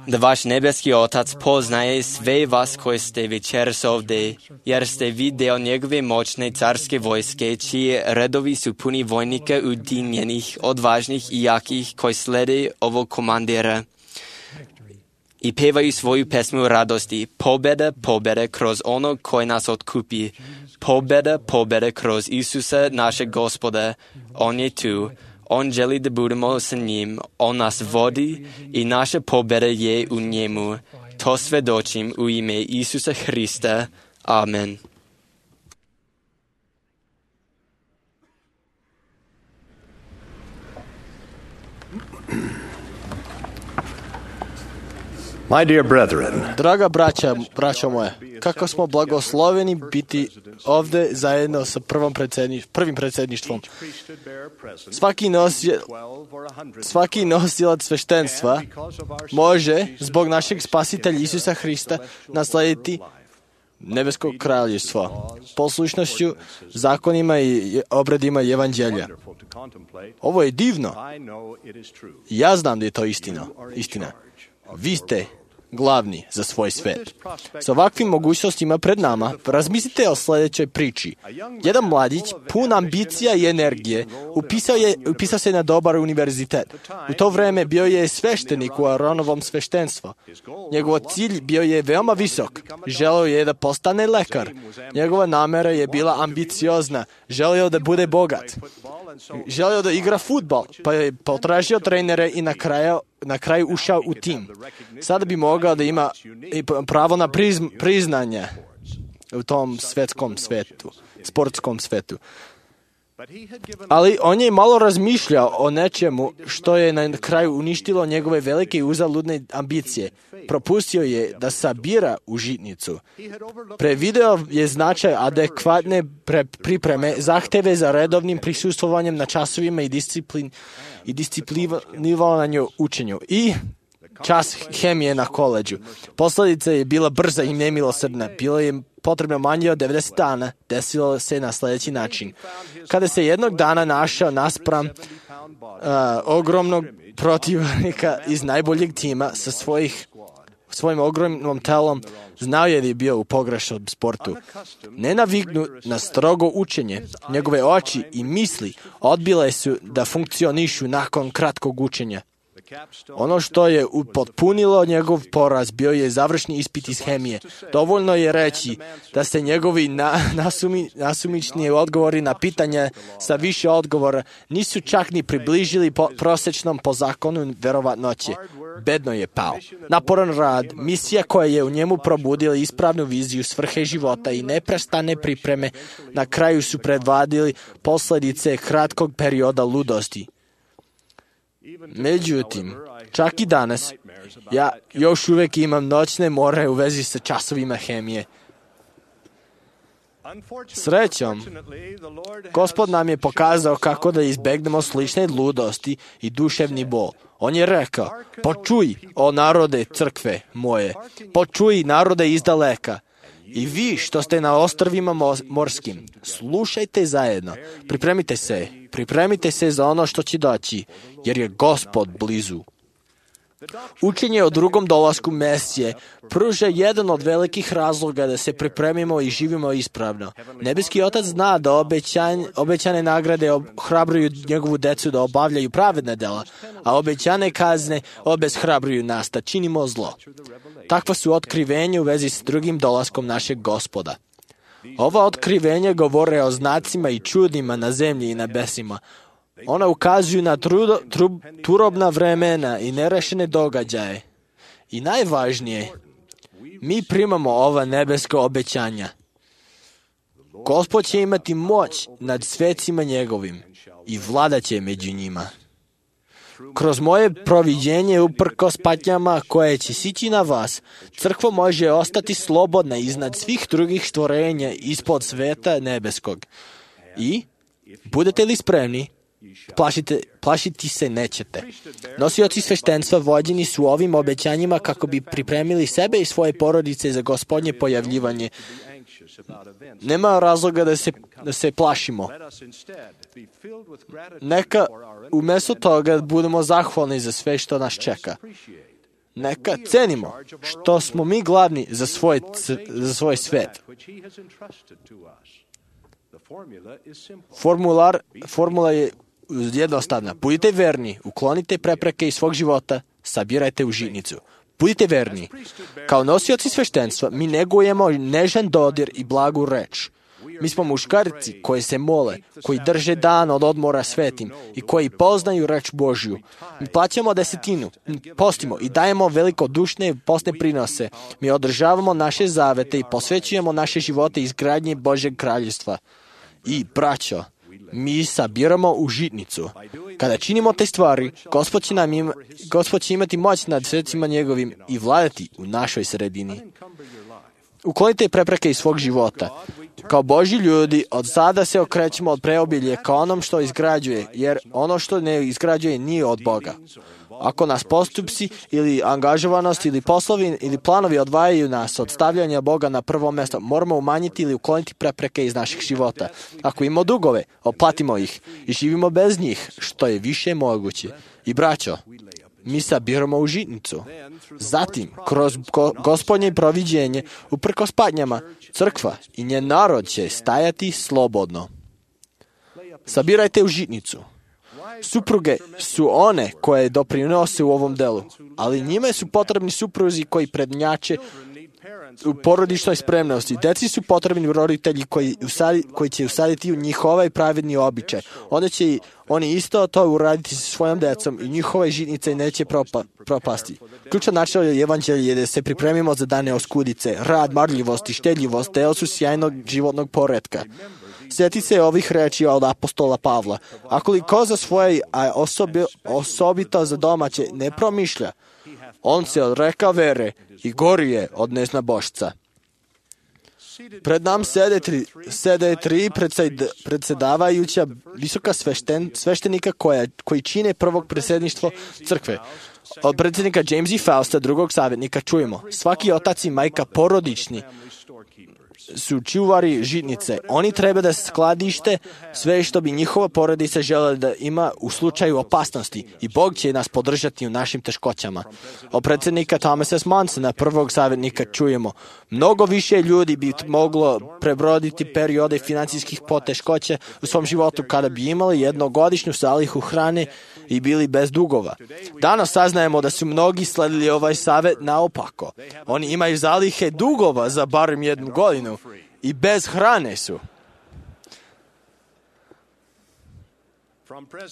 da vaš nebeski Otac poznaje sve vas koji ste večeras ovdje, jer ste vi deo njegove moćne carske vojske, čiji redovi su puni vojnika ujedinjenih, odvažnih i jakih koji slede ovog komandira i pevaju svoju pesmu radosti. Pobjeda, pobjeda kroz onog koji nas otkupi. Pobjeda, pobjeda kroz Isusa našeg Gospoda. On je tu. On želi da budemo sa njim. On nas vodi i naša pobjeda je u njemu. To svedočim u ime Isusa Hrista. Amen. My dear brethren, Draga braća, braćo moje, kako smo blagosloveni biti ovde zajedno sa prvom predsedni, prvim predsedništvom. Svaki, nosi, svaki nosilac sveštenstva može, zbog našeg spasitelja Isusa Hrista, naslediti nebesko kraljevstvo, poslušnošću zakonima i obredima evanđelja. Ovo je divno. Ja znam da je to istina. istina. Vi ste glavni za svoj svet. Sa ovakvim mogućnostima pred nama, razmislite o sljedećoj priči. Jedan mladić, pun ambicija i energije, upisao, je, upisao se na dobar univerzitet. U to vreme bio je sveštenik u Aronovom sveštenstvu. Njegov cilj bio je veoma visok. Želeo je da postane lekar. Njegova namera je bila ambiciozna. Želeo da bude bogat. Želeo da igra fudbal, pa je potražio trenere i na kraju, na kraju ušao u tim. Sada bi mogao da ima pravo na prizm, priznanje u tom svetskom svetu, sportskom svetu. Ali on je malo razmišljao o nečemu što je na kraju uništilo njegove velike i uzaludne ambicije. Propustio je da sabira u žitnicu. Prevideo je značaj adekvatne pre pripreme, zahteve za redovnim prisustvovanjem na časovima i disciplin i disciplinovanju učenju. I čas hemije na koleđu. Posledica je bila brza i nemilosrdna. Bilo je potrebno manje od devedeset dana. Desilo se na sljedeći način. Kada se jednog dana našao naspram uh, ogromnog protivnika iz najboljeg tima sa svojih, svojim ogromnom telom, znao je da je bio u pogrešnom sportu. Nenaviknut na strogo učenje, njegove oči i misli odbile su da funkcionišu nakon kratkog učenja. Ono što je upotpunilo njegov poraz bio je završni ispit iz hemije. Dovoljno je reći da se njegovi na, nasumi, nasumični odgovori na pitanja sa više odgovora nisu čak ni približili po, prosečnom po zakonu verovatnoće. Bedno je pao. Naporan rad, misija koja je u njemu probudila ispravnu viziju svrhe života i neprestane pripreme, na kraju su predvadili posledice kratkog perioda ludosti. Međutim, čak i danas, ja još uvijek imam noćne more u vezi sa časovima hemije. Srećom, Gospod nam je pokazao kako da izbegnemo slične ludosti i duševni bol. On je rekao, počuj, o narode crkve moje, počuj narode iz daleka. I vi što ste na ostrvima morskim, slušajte zajedno, pripremite se, pripremite se za ono što će doći, jer je Gospod blizu. Učenje o drugom dolasku Mesije pruža jedan od velikih razloga da se pripremimo i živimo ispravno. Nebeski Otac zna da obećan, obećane nagrade ohrabruju njegovu decu da obavljaju pravedne dela, a obećane kazne obeshrabruju nas da činimo zlo. Takva su otkrivenja u vezi s drugim dolaskom našeg Gospoda. Ova otkrivenja govore o znacima i čudima na zemlji i na nebesima. Ona ukazuju na trudo, tru, turobna vremena i nerešene događaje. I najvažnije, mi primamo ova nebeska obećanja. Gospod će imati moć nad svecima njegovim i vladaće među njima. Kroz moje proviđenje uprkos patnjama koje će sići na vas, crkva može ostati slobodna iznad svih drugih stvorenja ispod sveta nebeskog. I, budete li spremni, Plašite, plašiti se nećete. Nosioci sveštenstva vođeni su ovim obećanjima kako bi pripremili sebe i svoje porodice za Gospodnje pojavljivanje. Nema razloga da se, da se plašimo. Neka umjesto toga budemo zahvalni za sve što nas čeka. Neka cenimo što smo mi glavni za svoj, za svoj svet. Formular, formula je jednostavna. Budite verni, uklonite prepreke iz svog života, sabirajte u žitnicu. Budite verni. Kao nosioci sveštenstva mi negujemo nežan dodir i blagu reč. Mi smo muškarci koji se mole, koji drže dan od odmora svetim i koji poznaju reč Božju. Mi plaćamo desetinu, postimo i dajemo velikodušne postne prinose. Mi održavamo naše zavete i posvećujemo naše živote izgradnje Božjeg kraljevstva. I, braćo, mi sabiramo u žitnicu. Kada činimo te stvari, Gospod će, nam ima, Gospod će imati moć nad srcima njegovim i vladati u našoj sredini. Uklonite prepreke iz svog života. Kao Božji ljudi, od sada se okrećemo od preobilje ka onom što izgrađuje, jer ono što ne izgrađuje nije od Boga. Ako nas postupci ili angažovanost ili poslovi ili planovi odvajaju nas od stavljanja Boga na prvo mjesto, moramo umanjiti ili ukloniti prepreke iz naših života. Ako imamo dugove, oplatimo ih i živimo bez njih, što je više moguće. I braćo, mi sabiramo u žitnicu. Zatim, kroz go, gospodnje proviđenje, uprkos patnjama, crkva i njen narod će stajati slobodno. Sabirajte u žitnicu. Supruge su one koje doprinose u ovom delu, ali njime su potrebni supruzi koji prednjače u porodičnoj spremnosti. Deci su potrebni roditelji koji, usadi, koji će usaditi u njih ovaj pravedni običaj. Onda će oni isto to uraditi sa svojom decom i njihove žitnice neće propa, propasti. Ključan način je evanđelje da se pripremimo za dane oskudice. Rad, marljivost i štedljivost deo su sjajnog životnog poretka. Sjeti se ovih reči od apostola Pavla. Ako li ko za svoje, a osobi, osobito za domaće, ne promišlja, on se odreka vere i gori je od neznabošca. Pred nam sede tri, sede tri predsed, predsjedavajuća visoka svešten, sveštenika koja, koji čine prvog predsjedništvo crkve. Od predsjednika Jamesa i Fausta, drugog savjetnika, čujemo. Svaki otac i majka porodični su čuvari žitnice. Oni treba da skladište sve što bi njihova porodica željela da ima u slučaju opasnosti i Bog će nas podržati u našim teškoćama. Od predsjednika Thomasa S. Monsona, prvog savjetnika, čujemo. Mnogo više ljudi bi moglo prebroditi periode financijskih poteškoća u svom životu kada bi imali jednogodišnju zalihu hrane i bili bez dugova. Danas saznajemo da su mnogi sledili ovaj savjet naopako. Oni imaju zalihe dugova za barem jednu godinu i bez hrane su.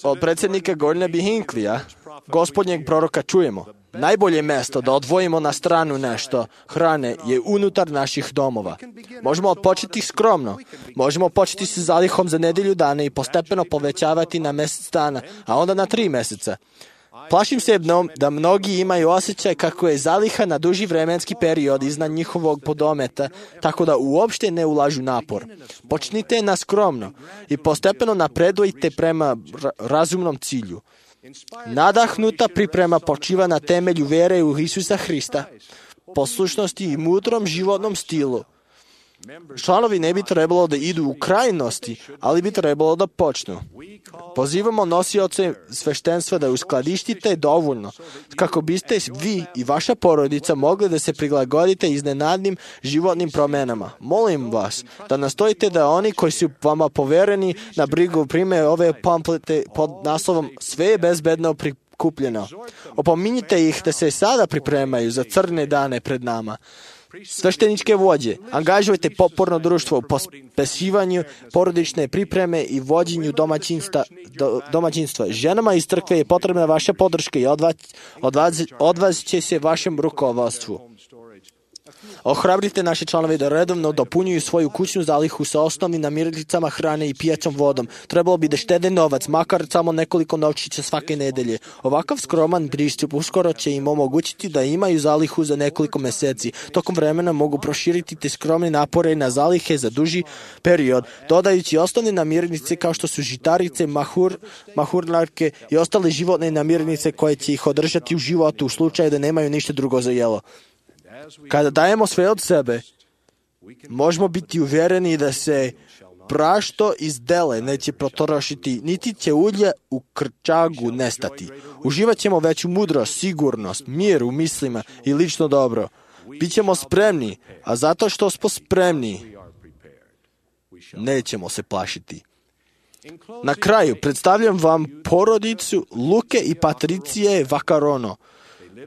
Od predsjednika Gordona B. Hinckleyja, gospodnjeg proroka, čujemo. Najbolje mjesto da odvojimo na stranu nešto hrane je unutar naših domova. Možemo odpočeti skromno. Možemo početi sa zalihom za nedelju dana i postepeno povećavati na mjesec dana, a onda na tri mjeseca. Plašim se da mnogi imaju osjećaj kako je zaliha na duži vremenski period iznad njihovog podometa, tako da uopšte ne ulažu napor. Počnite na skromno i postepeno napredujte prema razumnom cilju. Nadahnuta priprema počiva na temelju vere u Isusa Hrista, poslušnosti i mudrom životnom stilu. Članovi ne bi trebalo da idu u krajnosti, ali bi trebalo da počnu. Pozivamo nosioce sveštenstva da uskladištite dovoljno, kako biste vi i vaša porodica mogli da se prilagodite iznenadnim životnim promenama. Molim vas da nastojite da oni koji su vama povereni na brigu prime ove pamflete pod naslovom Sve je bezbedno prikupljeno. Opominjite ih da se sada pripremaju za crne dane pred nama. Svešteničke vođe, angažujte poporno društvo u pospesivanju porodične pripreme i vođenju domaćinstva. Do, domaćinstva. Ženama iz crkve je potrebna vaša podrška i odvaz, odvaz, odvaz će se vašem rukovodstvu. Ohrabrite naše članove da redovno dopunjuju svoju kućnu zalihu sa osnovnim namirnicama hrane i pijaćom vodom. Trebalo bi da štede novac, makar samo nekoliko novčića svake nedelje. Ovakav skroman pristup uskoro će im omogućiti da imaju zalihu za nekoliko meseci. Tokom vremena mogu proširiti te skromne napore na zalihe za duži period, dodajući osnovne namirnice kao što su žitarice, mahur, mahurnarke i ostale životne namirnice koje će ih održati u životu u slučaju da nemaju ništa drugo za jelo. Kada dajemo sve od sebe, možemo biti uvjereni da se prašto iz dele neće potrošiti, niti će ulje u krčagu nestati. Uživat ćemo veću mudrost, sigurnost, mir u mislima i lično dobro. Bićemo spremni, a zato što smo spremni, nećemo se plašiti. Na kraju predstavljam vam porodicu Luke i Patricije Vaccarone.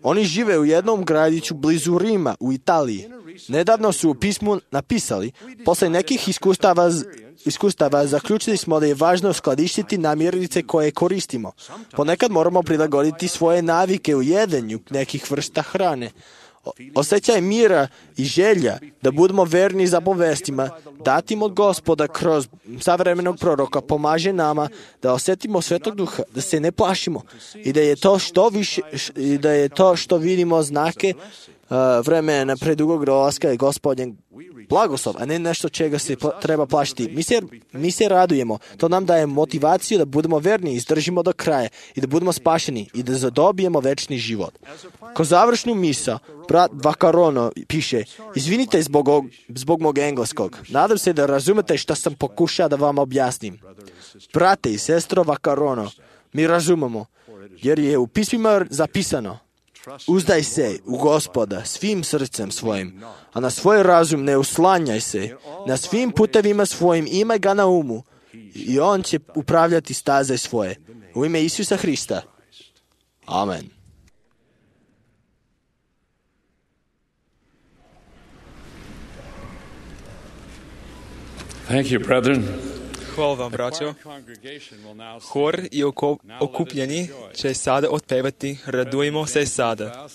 Oni žive u jednom gradiću blizu Rima u Italiji. nedavno su u pismu napisali, posle nekih iskustava, iskustava zaključili smo da je važno skladištiti namirnice koje koristimo. Ponekad moramo prilagoditi svoje navike u jedenju nekih vrsta hrane. Osjećaj mira i želja da budemo verni zapovestima, datim od Gospoda kroz savremenog proroka, pomaže nama da osjetimo Svetog Duha, da se ne plašimo i da je to što više, i da je to što vidimo znake uh, vremena predugog dolaska je Gospodnjeg blagoslov, a ne nešto čega se pla- treba plašiti. Mi se, mi se radujemo. To nam daje motivaciju da budemo verni, izdržimo do kraja i da budemo spašeni i da zadobijemo večni život. Ko završnu misa, brat Vakarono piše, izvinite zbog, og, zbog mog engleskog. Nadam se da razumete što sam pokušao da vam objasnim. Brate i sestro Vakarono, mi razumemo, jer je u pismima zapisano, uzdaj se u Gospoda svim srcem svojim, a na svoj razum ne uslanjaj se. Na svim putevima svojim imaj ga na umu i on će upravljati staze svoje. U ime Isusa Hrista. Amen. Thank you, brethren. Hvala vam, braćo. Hor i oko, okupljeni će sada otpevati Radujmo se sada.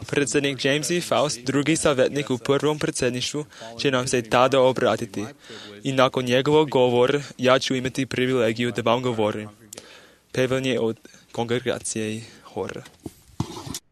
Predsjednik James E. Faust, drugi savjetnik u prvom predsjedništvu, će nam se tada obratiti. I nakon njegovog govora ja ću imati privilegiju da vam govorim. Pevanje od kongregacije i hora. Thank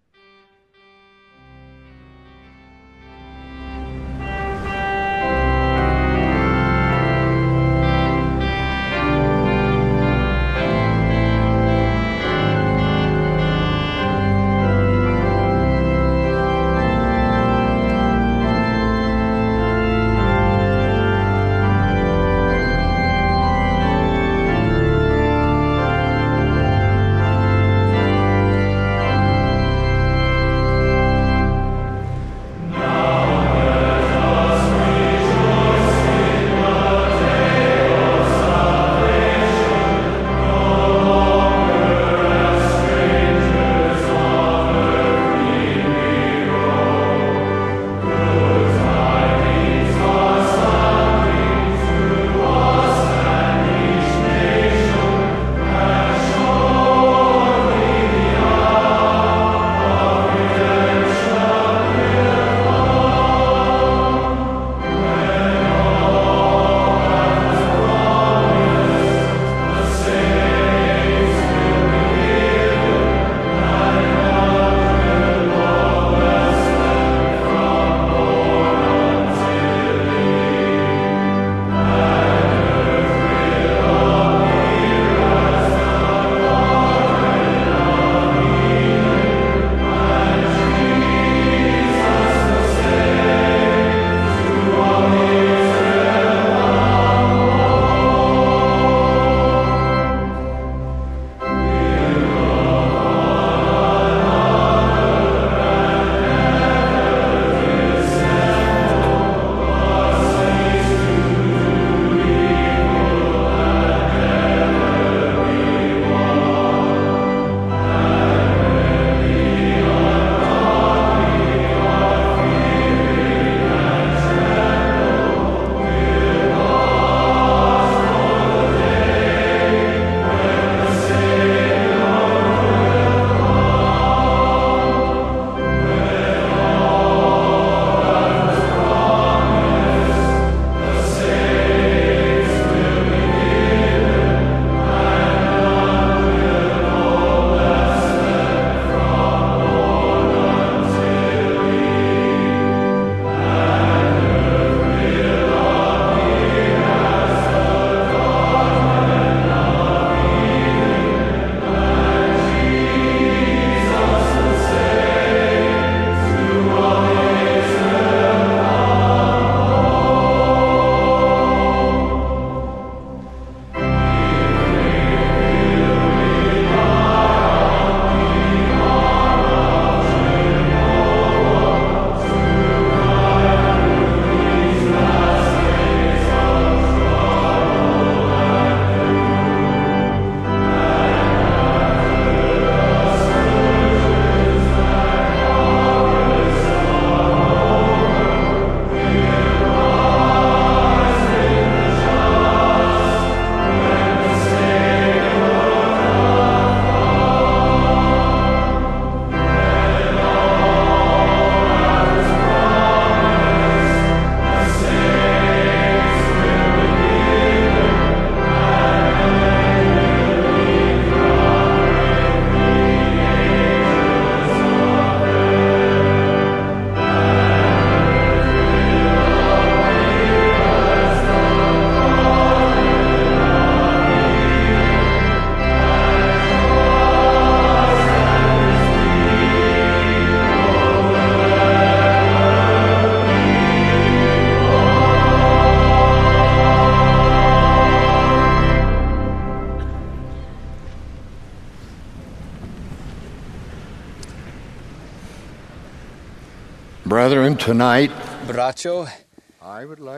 Brethren, tonight Braćo,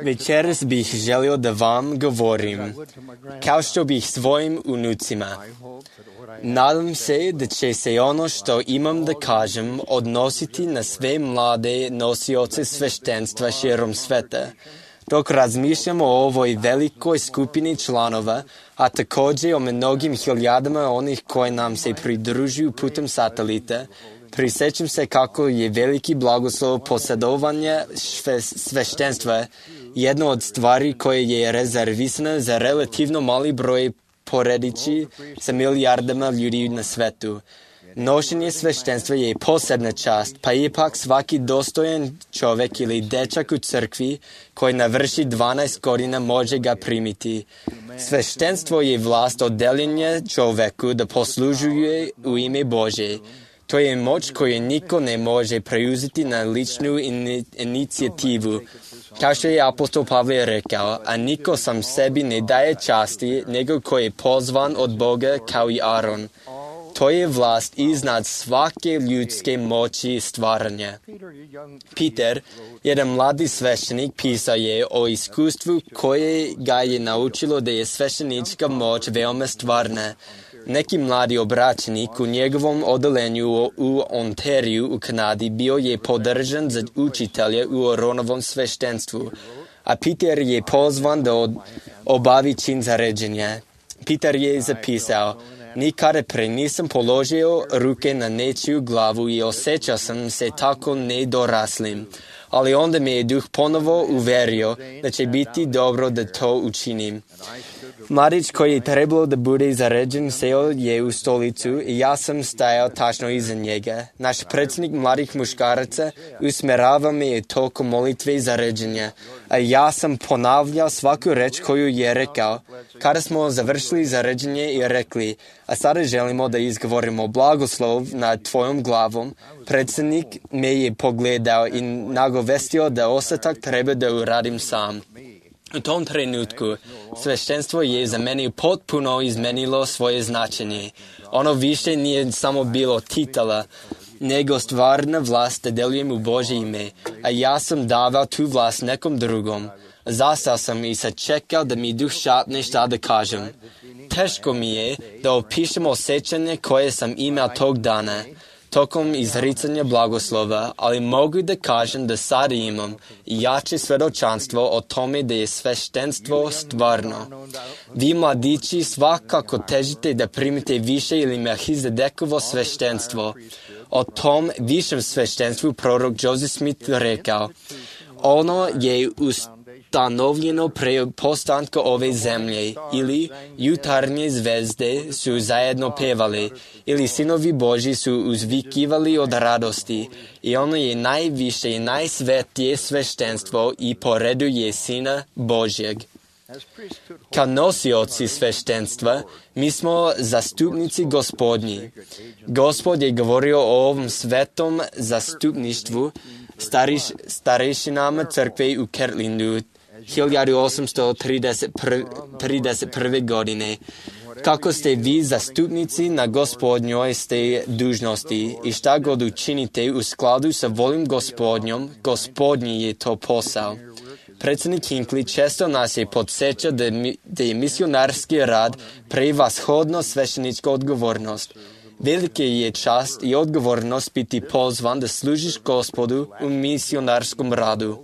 večeras bih želio da vam govorim, kao što bih svojim unucima. Nadam se da će se ono što imam da kažem odnositi na sve mlade nosioce sveštenstva širom sveta. Dok razmišljamo o ovoj velikoj skupini članova, a također o mnogim hiljadama onih koji nam se pridružuju putem satelita, prisjećam se kako je veliki blagoslov posjedovanja sveštenstva jedno od stvari koje je rezervisana za relativno mali broj poredići sa milijardama ljudi na svetu. Nošenje sveštenstva je posebna čast, pa ipak svaki dostojan čovjek ili dečak u crkvi koji navrši dvanaest godina može ga primiti. Sveštenstvo je vlast odeljenja čovjeku da poslužuje u ime Bože. To je moć koju niko ne može preuzeti na ličnu in- inicijativu. Kao što je apostol Pavle rekao, a niko sam sebi ne daje časti, nego koji je pozvan od Boga kao i Aron. To je vlast iznad svake ljudske moći stvaranja. Peter, jedan mladi sveštenik, pisao je o iskustvu koje ga je naučilo da je sveštenička moć veoma stvarna. Neki mladi obraćenik u njegovom odelenju u Ontariju u Kanadi bio je podržan za učitelja u Aronovom sveštenstvu, a Peter je pozvan da od, obavi čin zaređenja. Peter je zapisao, nikada pre nisam položio ruke na nečiju glavu i osjećao sam se tako nedoraslim, ali onda me je duh ponovo uverio da će biti dobro da to učinim. Mladić koji je trebalo da bude zaređen seo je u stolicu i ja sam stajao tačno iza njega. Naš predsjednik mladih muškaraca usmerava me tokom molitve zaređenja, a ja sam ponavljao svaku reč koju je rekao. Kada smo završili zaređenje i rekli, a sada želimo da izgovorimo blagoslov nad tvojom glavom, predsjednik me je pogledao i nagovestio da ostatak treba da uradim sam. U tom trenutku sveštenstvo je za mene potpuno izmenilo svoje značenje. Ono više nije samo bilo titula, nego stvarna vlast da delujem u Božje ime, a ja sam davao tu vlast nekom drugom. Zastao sam i sačekao da mi duh šapne šta da kažem. Teško mi je da opišem osjećanje koje sam imao tog dana, tokom izricanja blagoslova, ali mogu da kažem da sad imam jače svedočanstvo o tome da je sveštenstvo stvarno. Vi mladići svakako težite da primite više ili Melhizedekovo sveštenstvo. O tom višem sveštenstvu prorok Joseph Smith rekao, ono je ustanovljeno pre postanka ove zemlje, ili jutarnje zvezde su zajedno pevali, ili sinovi Božji su uzvikivali od radosti, i ono je najviše i najsvetije sveštenstvo i po redu je Sina Božjeg. Kao nosioci sveštenstva, mi smo zastupnici Gospodnji. Gospod je govorio o ovom svetom zastupništvu stariš, starešinama crkve u Kirtlandu hiljadu osamsto trideset prve. godine. Kako ste vi zastupnici na Gospodnjoj ste dužnosti i šta god učinite u skladu sa voljom Gospodnjom, Gospodnji je to posao. Predsjednik Hinckley često nas je podsjećao da, da je misionarski rad prevashodno sveštenička odgovornost. Velike je čast i odgovornost biti pozvan da služiš Gospodu u misionarskom radu.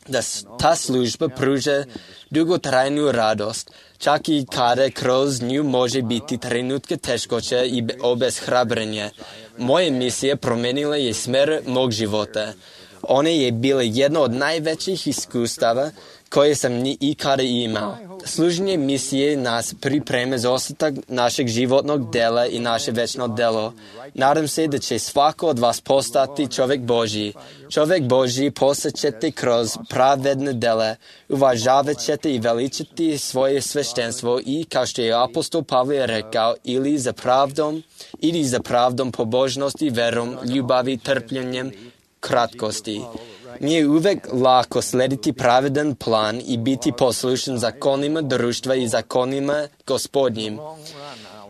Da ta služba pruža dugotrajnu radost, čak i kada kroz nju može biti trenutke teškoća i obeshrabrenja. Moja misija promenila je smer mog života. Ona je bila jedno od najvećih iskustava koje sam ni ikada imao. Služenje misije nas pripreme za ostatak našeg životnog dela i naše večno delo. Nadam se da će svako od vas postati čovjek Božji. Čovjek Božji postaćete kroz pravedne dela, uvažavat ćete i veličati svoje sveštenstvo i, kao što je apostol Pavle rekao, ili za pravdom, ili za pravdom pobožnosti, verom, ljubavi, trpljenjem, kratkosti. Nije uvek lako slediti pravedan plan i biti poslušan zakonima društva i zakonima Gospodnjim.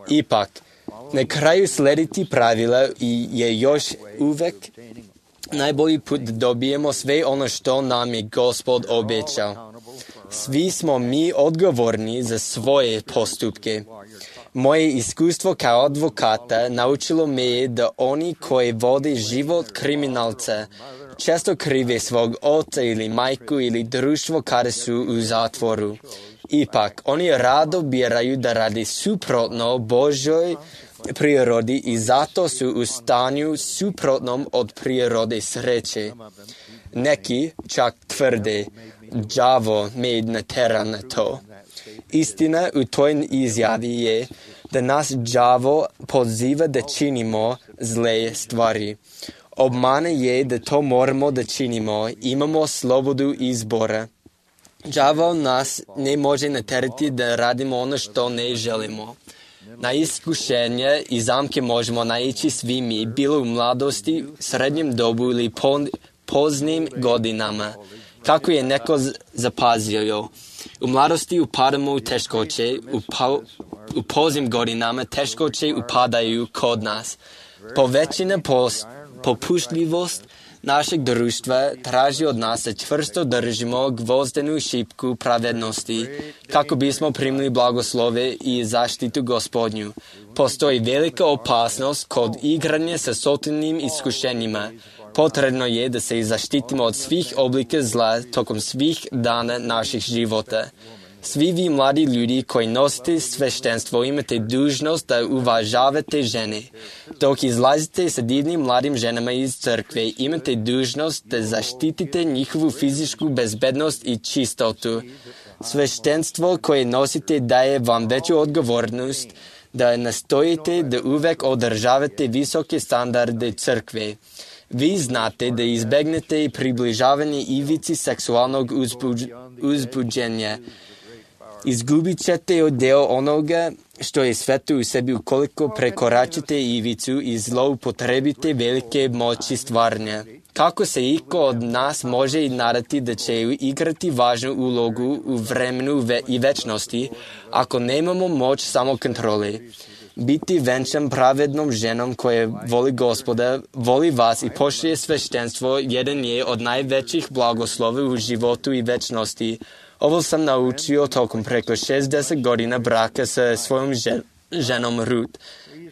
Ipak, na kraju slediti pravila je još uvek najbolji put da dobijemo sve ono što nam je Gospod obećao. Svi smo mi odgovorni za svoje postupke. Moje iskustvo kao advokata naučilo me je da oni koji vode život kriminalca često krive svog oca ili majku ili društvo kada su u zatvoru. Ipak, oni rado biraju da radi suprotno Božoj prirodi i zato su u stanju suprotnom od prirode sreće. Neki čak tvrde, đavo me natera na to. Istina u toj izjavi je da nas đavo poziva da činimo zle stvari. Obmane je da to moramo da činimo, imamo slobodu izbora. Đavo nas ne može naterati da radimo ono što ne želimo. Na iskušenje i zamke možemo naići svi mi, bilo u mladosti, srednjem dobu ili poznim godinama. Kako je neko zapazio, u mladosti upadamo u teškoće, u, pa, u poznim godinama teškoće upadaju kod nas. Povećana pos, popuštljivost našeg društva traži od nas da čvrsto držimo gvozdenu šipku pravednosti, kako bismo primili blagoslove i zaštitu Gospodnju. Postoji velika opasnost kod igranja sa sotilnim iskušenjima. Potrebno je da se zaštitimo od svih oblika zla tokom svih dana naših života. Svi vi mladi ljudi koji nosite sveštenstvo imate dužnost da uvažavate žene. Dok izlazite sa divnim mladim ženama iz crkve, imate dužnost da zaštitite njihovu fizičku bezbednost i čistotu. Sveštenstvo koje nosite daje vam veću odgovornost da nastojite da uvek održavate visoke standarde crkve. Vi znate da izbegnete približavanje ivici seksualnog uzbuđ, uzbuđenja. Izgubit ćete deo onoga što je sveto u sebi ukoliko prekoračite ivicu i zloupotrebite velike moći stvaranja. Kako se iko od nas može nadati da će igrati važnu ulogu u vremenu ve- i večnosti ako nemamo moć samokontrole? Biti venčan pravednom ženom koja voli Gospoda, voli vas i poštuje sveštenstvo jedan je od najvećih blagoslova u životu i večnosti. Ovo sam naučio tokom preko šezdeset godina braka sa svojom žen, ženom Ruth.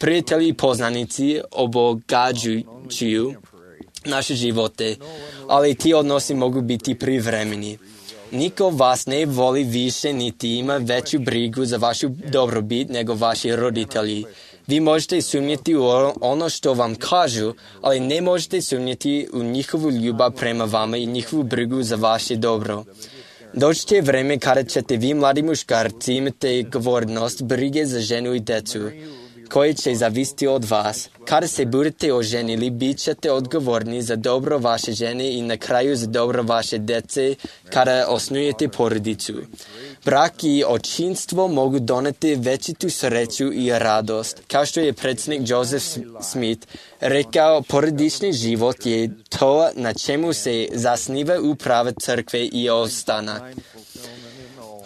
Prijatelji i poznanici obogađuju naše živote, ali ti odnosi mogu biti privremeni. Niko vas ne voli više niti ima veću brigu za vašu dobrobit nego vaši roditelji. Vi možete sumnjati u ono što vam kažu, ali ne možete sumnjati u njihovu ljubav prema vama i njihovu brigu za vaše dobro. Doći će vreme kada ćete vi mladi muškarci imate odgovornost brige za ženu i decu, koje će zavisiti od vas. Kada se budete oženili, bit ćete odgovorni za dobro vaše žene i na kraju za dobro vaše dece kada osnujete porodicu. Brak i očinstvo mogu doneti većitu sreću i radost. Kao što je predsjednik Joseph Smith rekao, porodični život je to na čemu se zasniva uprava crkve i ostanak.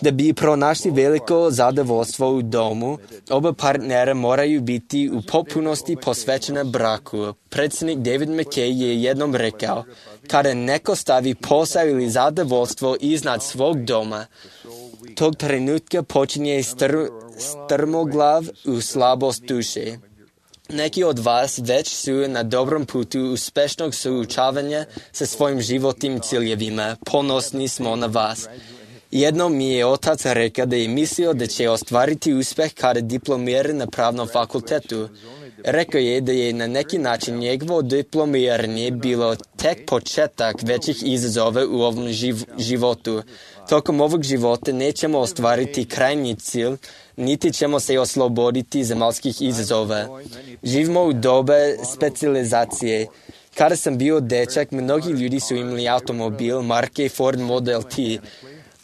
Da bi pronašli veliko zadovoljstvo u domu, oba partnera moraju biti u potpunosti posvećena braku. Predsjednik David McKay je jednom rekao, kada neko stavi posao ili zadovoljstvo iznad svog doma, tog trenutka počinje str, strmoglav u slabost duše. Neki od vas već su na dobrom putu uspešnog suočavanja sa svojim životnim ciljevima. Ponosni smo na vas. Jednom mi je otac rekao da je mislio da će ostvariti uspeh kada diplomira na pravnom fakultetu. Rekao je da je na neki način njegovo diplomiranje bilo tek početak većih izazova u ovom živ, životu. Tokom ovog života nećemo ostvariti krajnji cilj, niti ćemo se osloboditi zemaljskih izazova. Živimo u doba specijalizacije. Kada sam bio dečak, mnogi ljudi su imali automobil marke Ford Model T.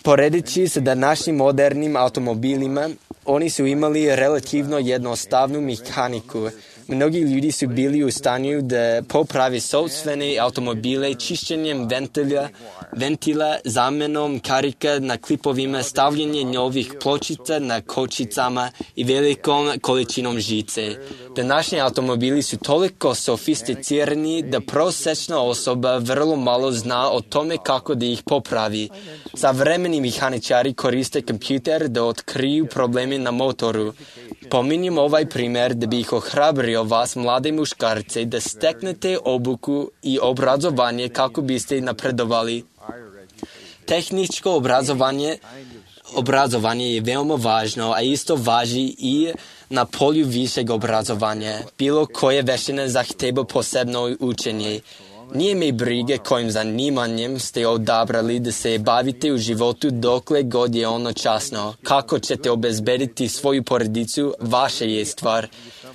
Poredeći se da našim modernim automobilima, oni su imali relativno jednostavnu mehaniku. Mnogi ljudi su bili u stanju da popravi sopstvene automobile čišćenjem ventila, ventila, zamenom karika na klipovima, stavljanje novih pločica na kočicama i velikom količinom žice. Današnji automobili su toliko sofisticirani da prosječna osoba vrlo malo zna o tome kako da ih popravi. Savremeni mehaničari koriste kompjuter da otkriju probleme na motoru. Pominjem ovaj primjer da bih ohrabrio vas, mlade muškarce, da steknete obuku i obrazovanje kako biste napredovali. Tehničko obrazovanje, obrazovanje je veoma važno, a isto važi i na polju višeg obrazovanja. Bilo koje veštine zahteva posebno učenje. Nije me brige kojim zanimanjem ste odabrali da se bavite u životu dokle god je ono časno. Kako ćete obezbediti svoju porodicu, vaša je stvar.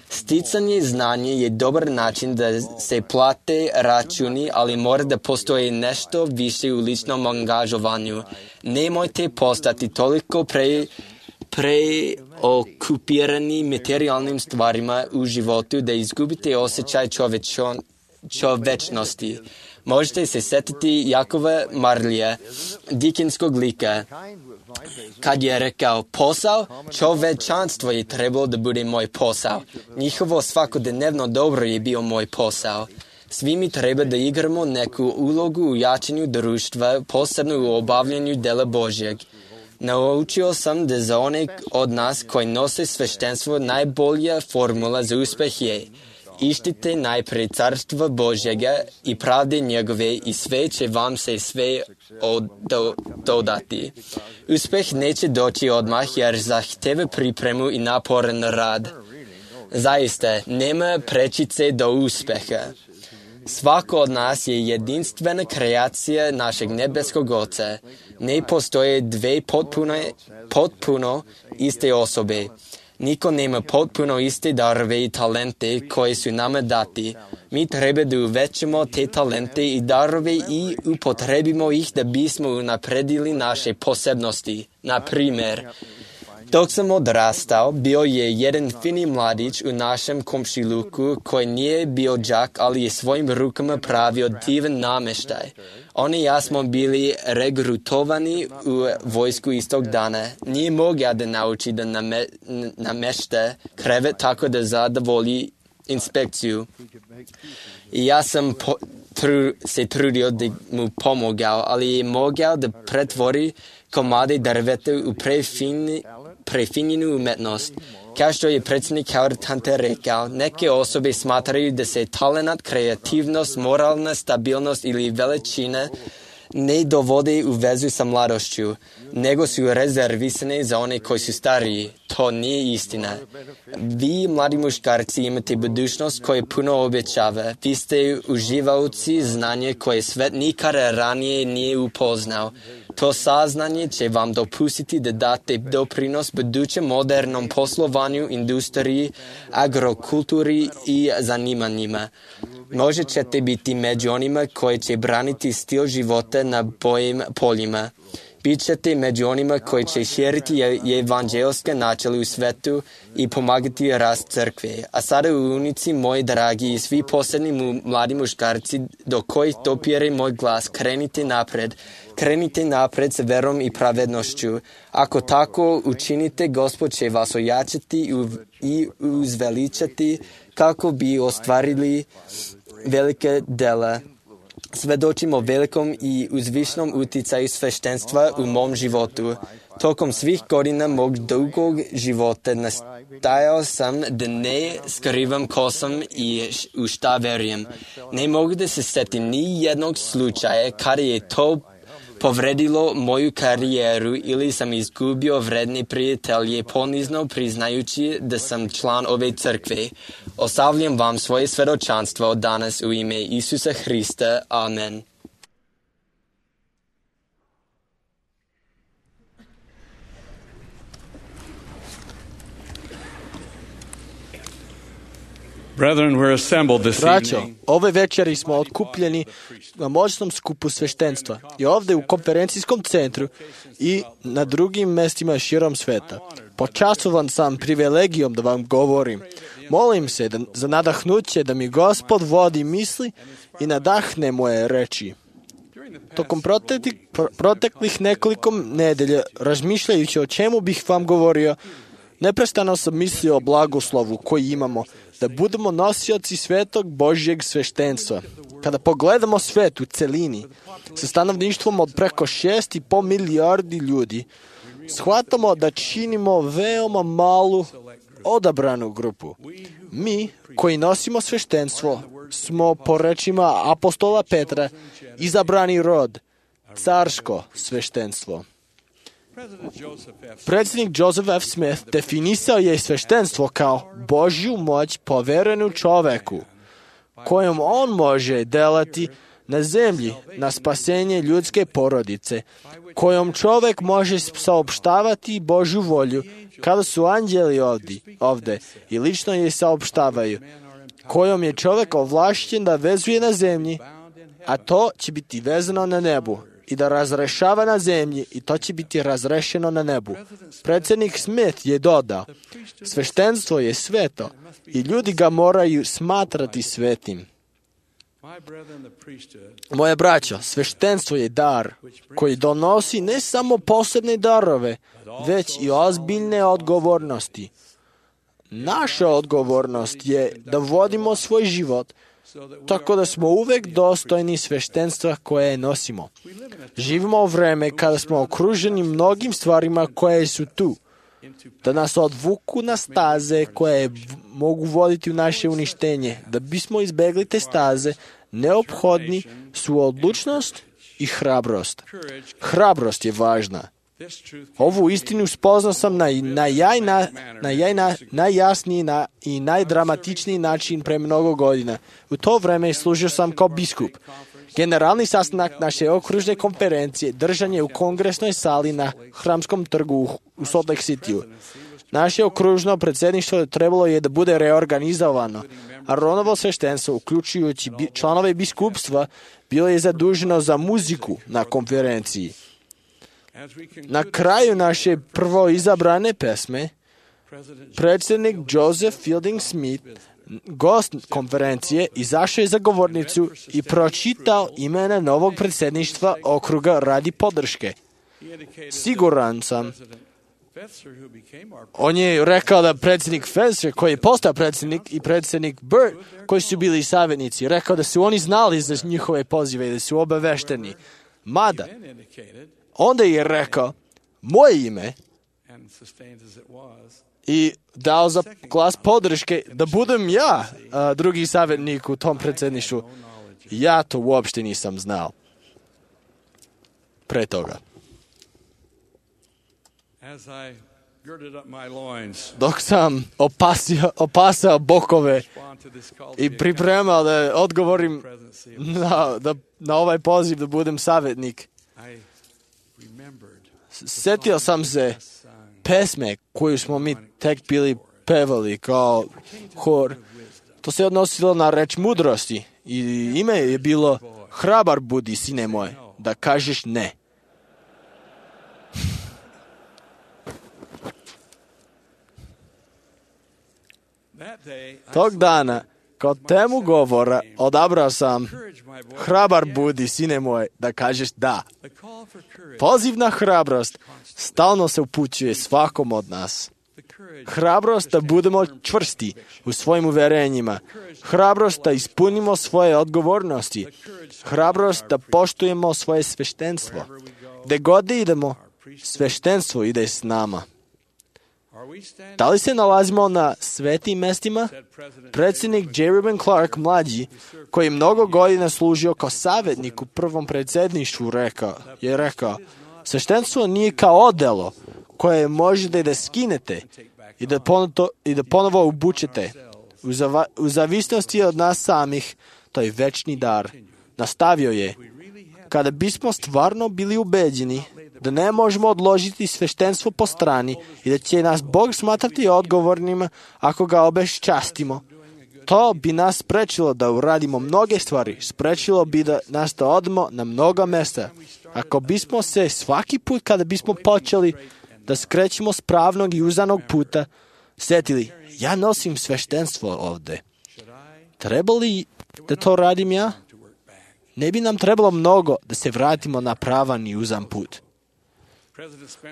Sticanje znanja je dobar način da se plate računi, ali mora da postoji nešto više u ličnom angažovanju. Nemojte postati toliko pre... preokupirani materijalnim stvarima u životu da izgubite osjećaj čovečon, čovečnosti. Možete se setiti Jakova Marlija, Dickensskog lika, kad je rekao, posao, čovečanstvo je trebalo da bude moj posao. Njihovo svakodnevno dobro je bio moj posao. Svi mi treba da igramo neku ulogu u jačanju društva, posebno u obavljanju dela Božjeg. Naučio sam da za one od nas koji nose sveštenstvo najbolja formula za uspeh je: ištite najpre carstva Božjega i pravde njegove i sve će vam se sve odo, dodati. Uspeh neće doći odmah jer zahteva pripremu i naporan rad. Zaista, nema prečice do uspeha. Svako od nas je jedinstvena kreacija našeg nebeskog Oca. Ne postoje dve potpuno, potpuno iste osobe. Niko nema potpuno iste darove i talente koje su nama dati. Mi treba da uvećamo te talente i darove i upotrebimo ih da bismo unapredili naše posebnosti. Na primjer, dok sam odrastao, bio je jedan fini mladić u našem komšiluku koji nije bio đak, ali je svojim rukama pravio divan nameštaj. On i ja smo bili regrutovani u vojsku istog dana. Nije mogao da nauči da name, namešta krevet tako da zadovolji inspekciju. I ja sam po, tru, se trudio da mu pomogao, ali je mogao da pretvori komade drveta u prefini, prefinjenu umetnost. Kao što je predsjednik Howard Hunter rekao, neke osobe smatraju da se talenat, kreativnost, moralna stabilnost ili veličina ne dovode u vezu sa mladošću, nego su rezervisane za one koji su stariji. To nije istina. Vi, mladi muškarci, imate budućnost koja puno obećava. Vi ste uživaoci znanja koje svet nikada ranije nije upoznao. To saznanje će vam dopustiti da date doprinos budućem modernom poslovanju, industriji, agrokulturi i zanimanjima. Možda ćete biti među onima koji će braniti stil života na bojim poljima. Bićete među onima koji će širiti evanđelske načela u svetu i pomagati rast crkve. A sada unici moji dragi i svi posebni mladi muškarci do kojih dopire moj glas, krenite napred. Krenite napred sa verom i pravednošću. Ako tako učinite, Gospod će vas ojačati i uzveličati kako bi ostvarili velike dela. Svedočimo velikom i uzvišnom uticaju sveštenstva u mom životu. Tokom svih godina mog dugog života nastajao sam da ne skrivam ko sam i u šta verujem. Ne mogu da se setim ni jednog slučaja kada je to povredilo moju karijeru ili sam izgubio vredne prijatelje ponizno priznajući da sam član ove crkve. Ostavljam vam svoje svedočanstvo od danas u ime Isusa Hrista. Amen. Brethren, we're assembled this Braćo, evening. ove večeri smo okupljeni na moćnom skupu sveštenstva i ovde u konferencijskom centru i na drugim mestima širom sveta. Počastovan sam privilegijom da vam govorim Molim se da, za nadahnuće da mi Gospod vodi misli i nadahne moje reči. Tokom proteklih, proteklih nekoliko nedelja, razmišljajući o čemu bih vam govorio, neprestano sam mislio o blagoslovu koji imamo, da budemo nosioci svetog Božjeg sveštenstva. Kada pogledamo svet u celini, sa stanovništvom od preko šest i po milijardi ljudi, shvatamo da činimo veoma malu odabranu grupu. Mi, koji nosimo sveštenstvo, smo po rečima apostola Petra izabrani rod, carsko sveštenstvo. Predsjednik Joseph F. Smith definisao je sveštenstvo kao Božju moć poverenu čoveku, kojom on može delati na zemlji na spasenje ljudske porodice, kojom čovek može saopštavati Božju volju kada su anđeli ovdje, ovde i lično je saopštavaju, kojom je čovek ovlašćen da vezuje na zemlji, a to će biti vezano na nebu, i da razrešava na zemlji, i to će biti razrešeno na nebu. Predsjednik Smith je dodao, sveštenstvo je sveto i ljudi ga moraju smatrati svetim. Moje braćo, sveštenstvo je dar koji donosi ne samo posebne darove, već i ozbiljne odgovornosti. Naša odgovornost je da vodimo svoj život tako da smo uvek dostojni sveštenstva koje nosimo. Živimo u vreme kada smo okruženi mnogim stvarima koje su tu, da nas odvuku na staze koje mogu voditi u naše uništenje. Da bismo izbegli te staze, neophodni su odlučnost i hrabrost. Hrabrost je važna. Ovu istinu spoznao sam na, na, jajna, na jajna, najjasniji na, i najdramatičniji način pre mnogo godina. U to vreme služio sam kao biskup. Generalni sastanak naše okružne konferencije držan je u kongresnoj sali na Hramskom trgu u, u Salt Lake Cityu. Naše okružno predsjedništvo trebalo je da bude reorganizovano. Aronovo sveštenstvo, uključujući bi, članove biskupstva, bilo je zaduženo za muziku na konferenciji. Na kraju naše prvo izabrane pesme, predsjednik Joseph Fielding Smith, gost konferencije, izašao je za govornicu i pročitao imena novog predsjedništva okruga radi podrške. Siguran sam, on je rekao da predsjednik Fetzer, koji je postao predsjednik, i predsjednik Burt, koji su bili savjetnici, rekao da su oni znali za njihove pozive i da su obavešteni. Mada, onda je rekao moje ime i dao za glas podrške da budem ja a, drugi savjetnik u tom predsjedništvu. Ja to uopšte nisam znao pre toga. Dok sam opasio, opasao bokove i pripremao da odgovorim na, da, na ovaj poziv da budem savjetnik, sjetio sam se pesme koju smo mi tek bili pevali kao hor. To se odnosilo na reč mudrosti i ime je bilo hrabar budi, sine moj, da kažeš ne. Tog dana, kao temu govora, odabrao sam hrabar budi, sine moj, da kažeš da. Poziv na hrabrost stalno se upućuje svakom od nas. Hrabrost da budemo čvrsti u svojim uverenjima. Hrabrost da ispunimo svoje odgovornosti. Hrabrost da poštujemo svoje sveštenstvo. Gde god idemo, sveštenstvo ide s nama. Da li se nalazimo na svetim mestima? Predsjednik J. Reuben Clark mlađi, koji je mnogo godina služio kao savjetnik u prvom predsjedništvu, rekao, je rekao, sveštenstvo nije kao odelo koje možete da skinete i da, ponoto, i da ponovo obučete. U, zava, u zavisnosti od nas samih, to je večni dar. Nastavio je, kada bismo stvarno bili ubeđeni da ne možemo odložiti sveštenstvo po strani i da će nas Bog smatrati odgovornima ako ga obeščastimo, to bi nas sprečilo da uradimo mnoge stvari, sprečilo bi da nas da odemo na mnoga mesta. Ako bismo se svaki put kada bismo počeli da skrećemo s pravnog i uzanog puta, setili, ja nosim sveštenstvo ovde. Treba li da to radim ja? Ne bi nam trebalo mnogo da se vratimo na pravan i uzan put.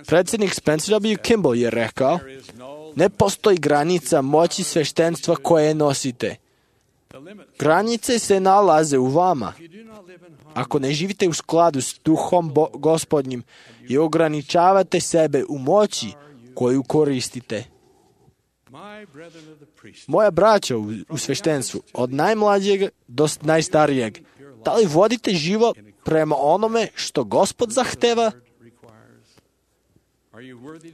Predsjednik Spencer W. Kimball je rekao, ne postoji granica moći sveštenstva koje nosite. Granice se nalaze u vama. Ako ne živite u skladu s duhom Bo- gospodnjim i ograničavate sebe u moći koju koristite. Moja braća u, u sveštenstvu, od najmlađeg do najstarijeg, da li vodite život prema onome što Gospod zahteva?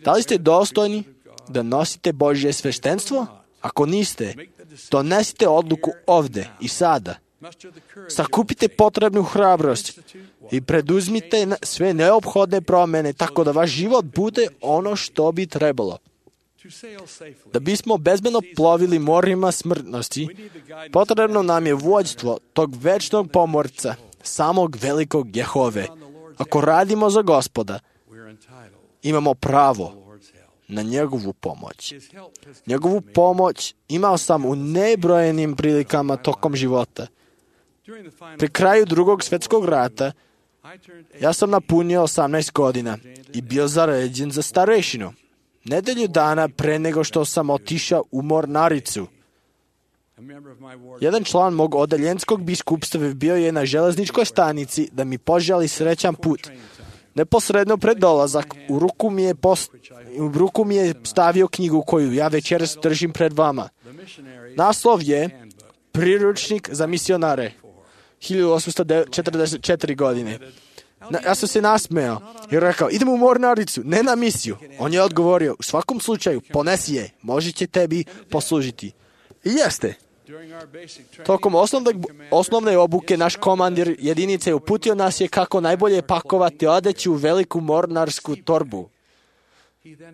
Da li ste dostojni da nosite Božje sveštenstvo? Ako niste, donesite odluku ovde i sada. Sakupite potrebnu hrabrost i preduzmite sve neophodne promjene tako da vaš život bude ono što bi trebalo. Da bismo bezbedno plovili morima smrtnosti, potrebno nam je vođstvo tog večnog pomorca, samog velikog Jehove. Ako radimo za Gospoda, imamo pravo na njegovu pomoć. Njegovu pomoć imao sam u nebrojenim prilikama tokom života. Pri kraju drugog svjetskog rata, ja sam napunio osamnaest godina i bio zaređen za starešinu. Nedelju dana pre nego što sam otišao u mornaricu. Jedan član mog odeljenskog biskupstva bio je na železničkoj stanici da mi poželi srećan put. Neposredno pred dolazak u ruku mi je, post, u ruku mi je stavio knjigu koju ja večeras držim pred vama. Naslov je Priručnik za misionare, hiljadu osamsto četrdeset četiri godine. Na, ja sam se nasmejao i rekao, idem u mornaricu, ne na misiju. On je odgovorio, u svakom slučaju, ponesi je, može će tebi poslužiti. I jeste. Tokom osnovne, osnovne obuke naš komandir jedinice uputio nas je kako najbolje pakovati odeću u veliku mornarsku torbu.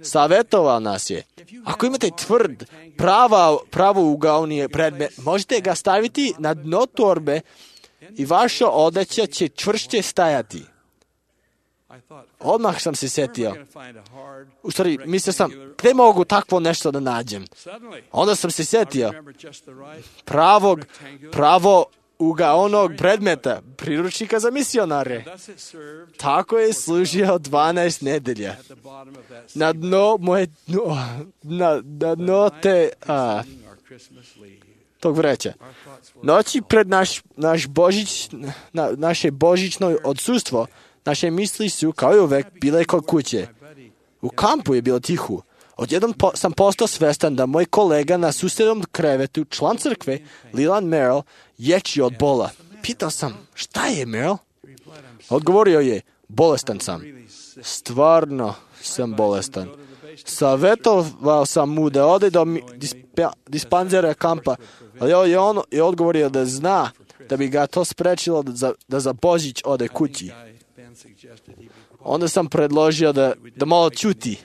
Savjetovao nas je, ako imate tvrd, prava, pravo ugaonije predmet, možete ga staviti na dno torbe i vaša odeća će čvršće stajati. Odmah sam se setio. U stvari, mislio sam, gde mogu takvo nešto da nađem? Onda sam se setio pravog, pravo ugaonog predmeta, priručnika za misionare. Tako je služio dvanaest nedelja. Na dno moje, na, na dno te, a, tog vreća. Noći pred naš, naš Božić, na, naše božićno odsustvo, naše misli su, kao i uvek, bile kod kuće. U kampu je bilo tihu. Odjednom po, sam postao svestan da moj kolega na susjednom krevetu, član crkve, Leland Merrill, ječi od bola. Pitao sam, šta je, Merrill? Odgovorio je, bolestan sam. Stvarno sam bolestan. Savetovao sam mu da ode do dispa, dispanzera kampa, ali je on je odgovorio da zna da bi ga to sprečilo da za, da za Božić ode kući. Onda sam predložio da, da malo ćuti,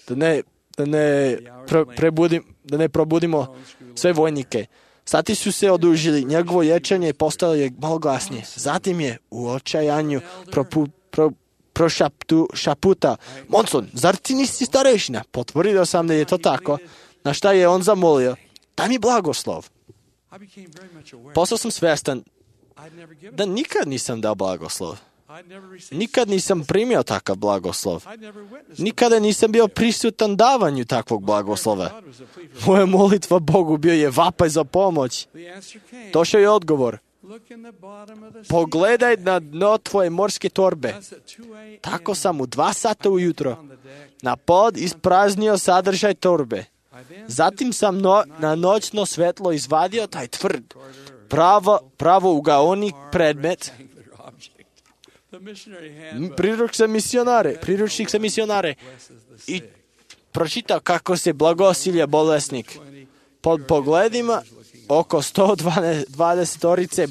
da ne, da ne, pre, prebudim, da ne probudimo sve vojnike. Sati su se odužili, njegovo ječanje postalo je malo glasnije. Zatim je u očajanju propu, pro, prošaptu, šaputa, Monson, zar ti nisi starešina? Potvrdio sam da je to tako, na šta je on zamolio, daj mi blagoslov. Postao sam svjestan da nikad nisam dao blagoslov. Nikad nisam primio takav blagoslov. Nikada nisam bio prisutan davanju takvog blagoslova. Moja molitva Bogu bio je vapaj za pomoć. Došao je odgovor. Pogledaj na dno tvoje morske torbe. Tako sam u dva sata ujutro na pod ispraznio sadržaj torbe. Zatim sam no, na noćno svetlo izvadio taj tvrd, pravo, pravo ugaonik predmet, priručnik za misionare, priručnik za misionare i pročitao kako se blagosilja bolesnik. Pod pogledima oko sto dvadeset orice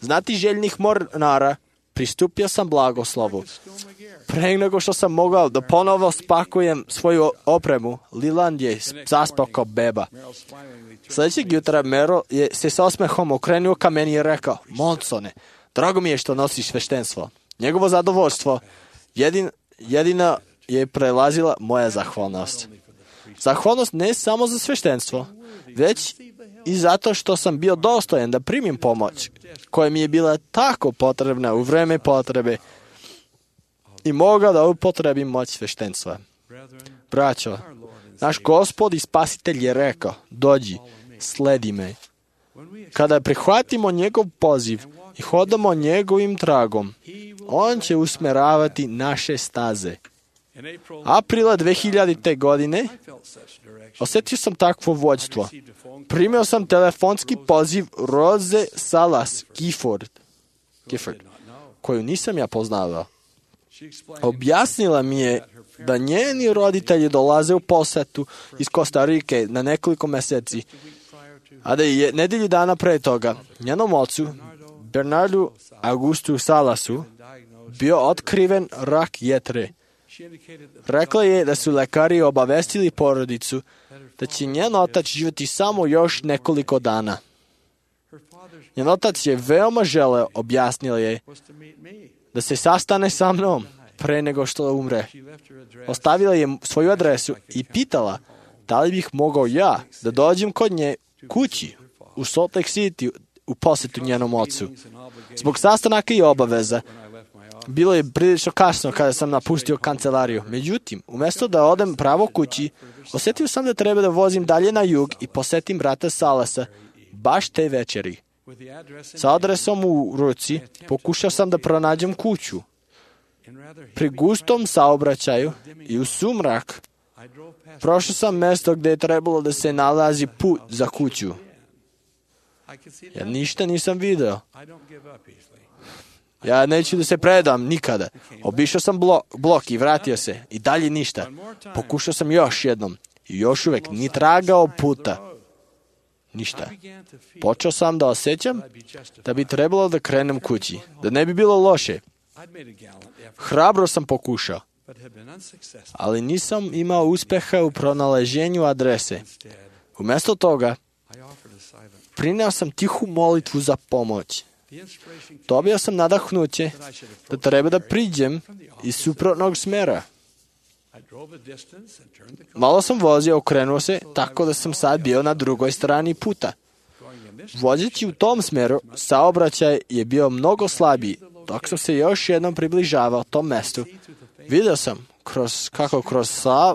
znatiželjnih mornara pristupio sam blagoslovu. Pre nego što sam mogao da ponovo spakujem svoju opremu, Leland je zaspao kao beba. Sljedećeg jutra Merrill je se s osmehom okrenuo ka meni i rekao, Monsone, drago mi je što nosiš sveštenstvo. Njegovo zadovoljstvo jedin, jedina je prelazila moja zahvalnost. Zahvalnost ne samo za sveštenstvo, već i zato što sam bio dostojan da primim pomoć, koja mi je bila tako potrebna u vreme potrebe i mogao da upotrebim moć sveštenstva. Braćo, naš Gospod i Spasitelj je rekao, dođi, sledi me. Kada prihvatimo njegov poziv i hodamo njegovim tragom, on će usmeravati naše staze. Aprila dve hiljadite. godine osjetio sam takvo vođstvo. Primio sam telefonski poziv Roze Salas Gifford, Gifford, koju nisam ja poznavao. Objasnila mi je da njeni roditelji dolaze u posetu iz Kostarike na nekoliko meseci, a da je nedelju dana pre toga njenom ocu, Bernardu Augustu Salasu, bio otkriven rak jetre. Rekla je da su lekari obavestili porodicu da će njen otac živjeti samo još nekoliko dana. Njen otac je veoma želeo, objasnila je, da se sastane sa mnom pre nego što umre. Ostavila je svoju adresu i pitala da li bih mogao ja da dođem kod nje kući u Salt Lake City u posetu njenom ocu. Zbog sastanaka i obaveza, bilo je prilično kasno kada sam napustio kancelariju. Međutim, umjesto da odem pravo kući, osjetio sam da treba da vozim dalje na jug i posetim brata Salasa baš te večeri. Sa adresom u ruci pokušao sam da pronađem kuću. Pri gustom saobraćaju i u sumrak prošao sam mesto gdje je trebalo da se nalazi put za kuću. Ja ništa nisam video. Ja neću da se predam nikada. Obišao sam blok, blok i vratio se. I dalje ništa. Pokušao sam još jednom. I još uvijek ni tragao puta. Ništa. Počeo sam da osjećam da bi trebalo da krenem kući. Da ne bi bilo loše. Hrabro sam pokušao. Ali nisam imao uspeha u pronalaženju adrese. Umjesto toga, prineo sam tihu molitvu za pomoć. Dobio sam nadahnuće da treba da priđem iz suprotnog smera. Malo sam vozio, okrenuo se, tako da sam sad bio na drugoj strani puta. Vozeći u tom smeru, saobraćaj je bio mnogo slabiji. Dok sam se još jednom približavao tom mestu, vidio sam kroz, kako kroz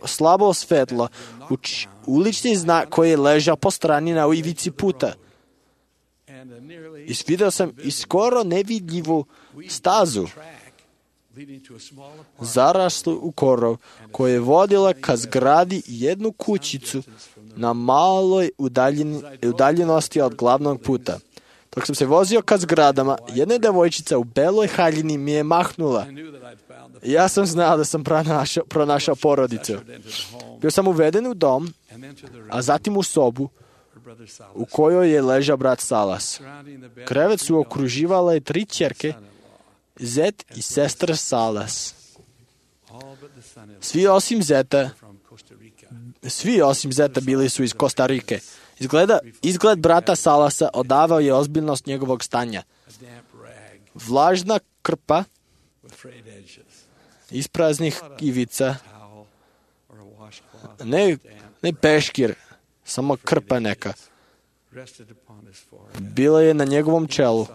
slabo svetlo uč, ulični znak koji je ležao po strani na ivici puta. I vidio sam i skoro nevidljivu stazu zaraslu u korov koja je vodila ka zgradi jednu kućicu na maloj udaljeni, udaljenosti od glavnog puta. Dok sam se vozio ka zgradama, jedna devojčica u beloj haljini mi je mahnula. Ja sam znao da sam pronašao, pronašao porodicu. Bio sam uveden u dom, a zatim u sobu u kojoj je ležao brat Salas. Krevet su okruživale tri ćerke, zet i sestra Salas. Svi osim zeta, svi osim zeta bili su iz Kostarike. Izgleda, izgled brata Salasa odavao je ozbiljnost njegovog stanja. Vlažna krpa, ispraznih ivica, ne, ne peškir, samo krpa neka, bila je na njegovom čelu,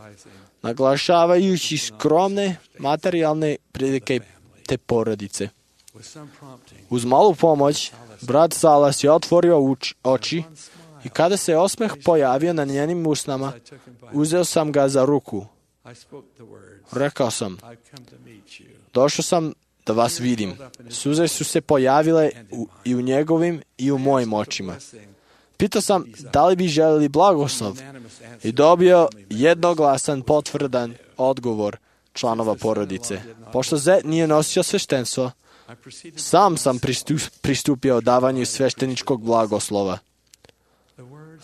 naglašavajući skromne materijalne prilike te porodice. Uz malu pomoć, brat Salas je otvorio uč, oči i kada se osmeh pojavio na njenim usnama, uzeo sam ga za ruku. Rekao sam, došao sam da vas vidim. Suze su se pojavile u, i u njegovim i u mojim očima. Pitao sam da li bi želeli blagoslov i dobio jednoglasan potvrdan odgovor članova porodice. Pošto Zet nije nosio sveštenstvo, sam sam pristupio davanju svešteničkog blagoslova.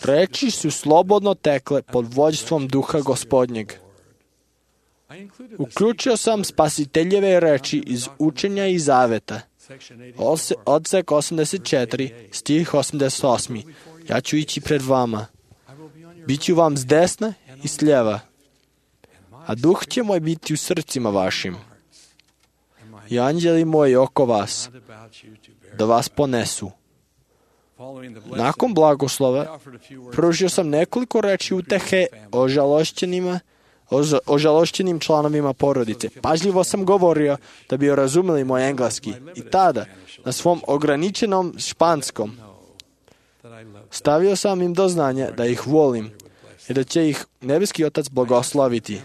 Reči su slobodno tekle pod vođstvom duha gospodnjeg. Uključio sam spasiteljeve reči iz učenja i zaveta. Odsek osamdeset četiri, stih osamdeset osam. Ja ću ići pred vama. Biću vam s desna i s lijeva. A duh će moj biti u srcima vašim. I anđeli moji oko vas, da vas ponesu. Nakon blagoslova, pružio sam nekoliko reči utehe o žalošćenima, o žalošćenim članovima porodice. Pažljivo sam govorio da bi razumeli moj engleski i tada, na svom ograničenom španskom, stavio sam im do znanja da ih volim i da će ih nebeski Otac blagosloviti.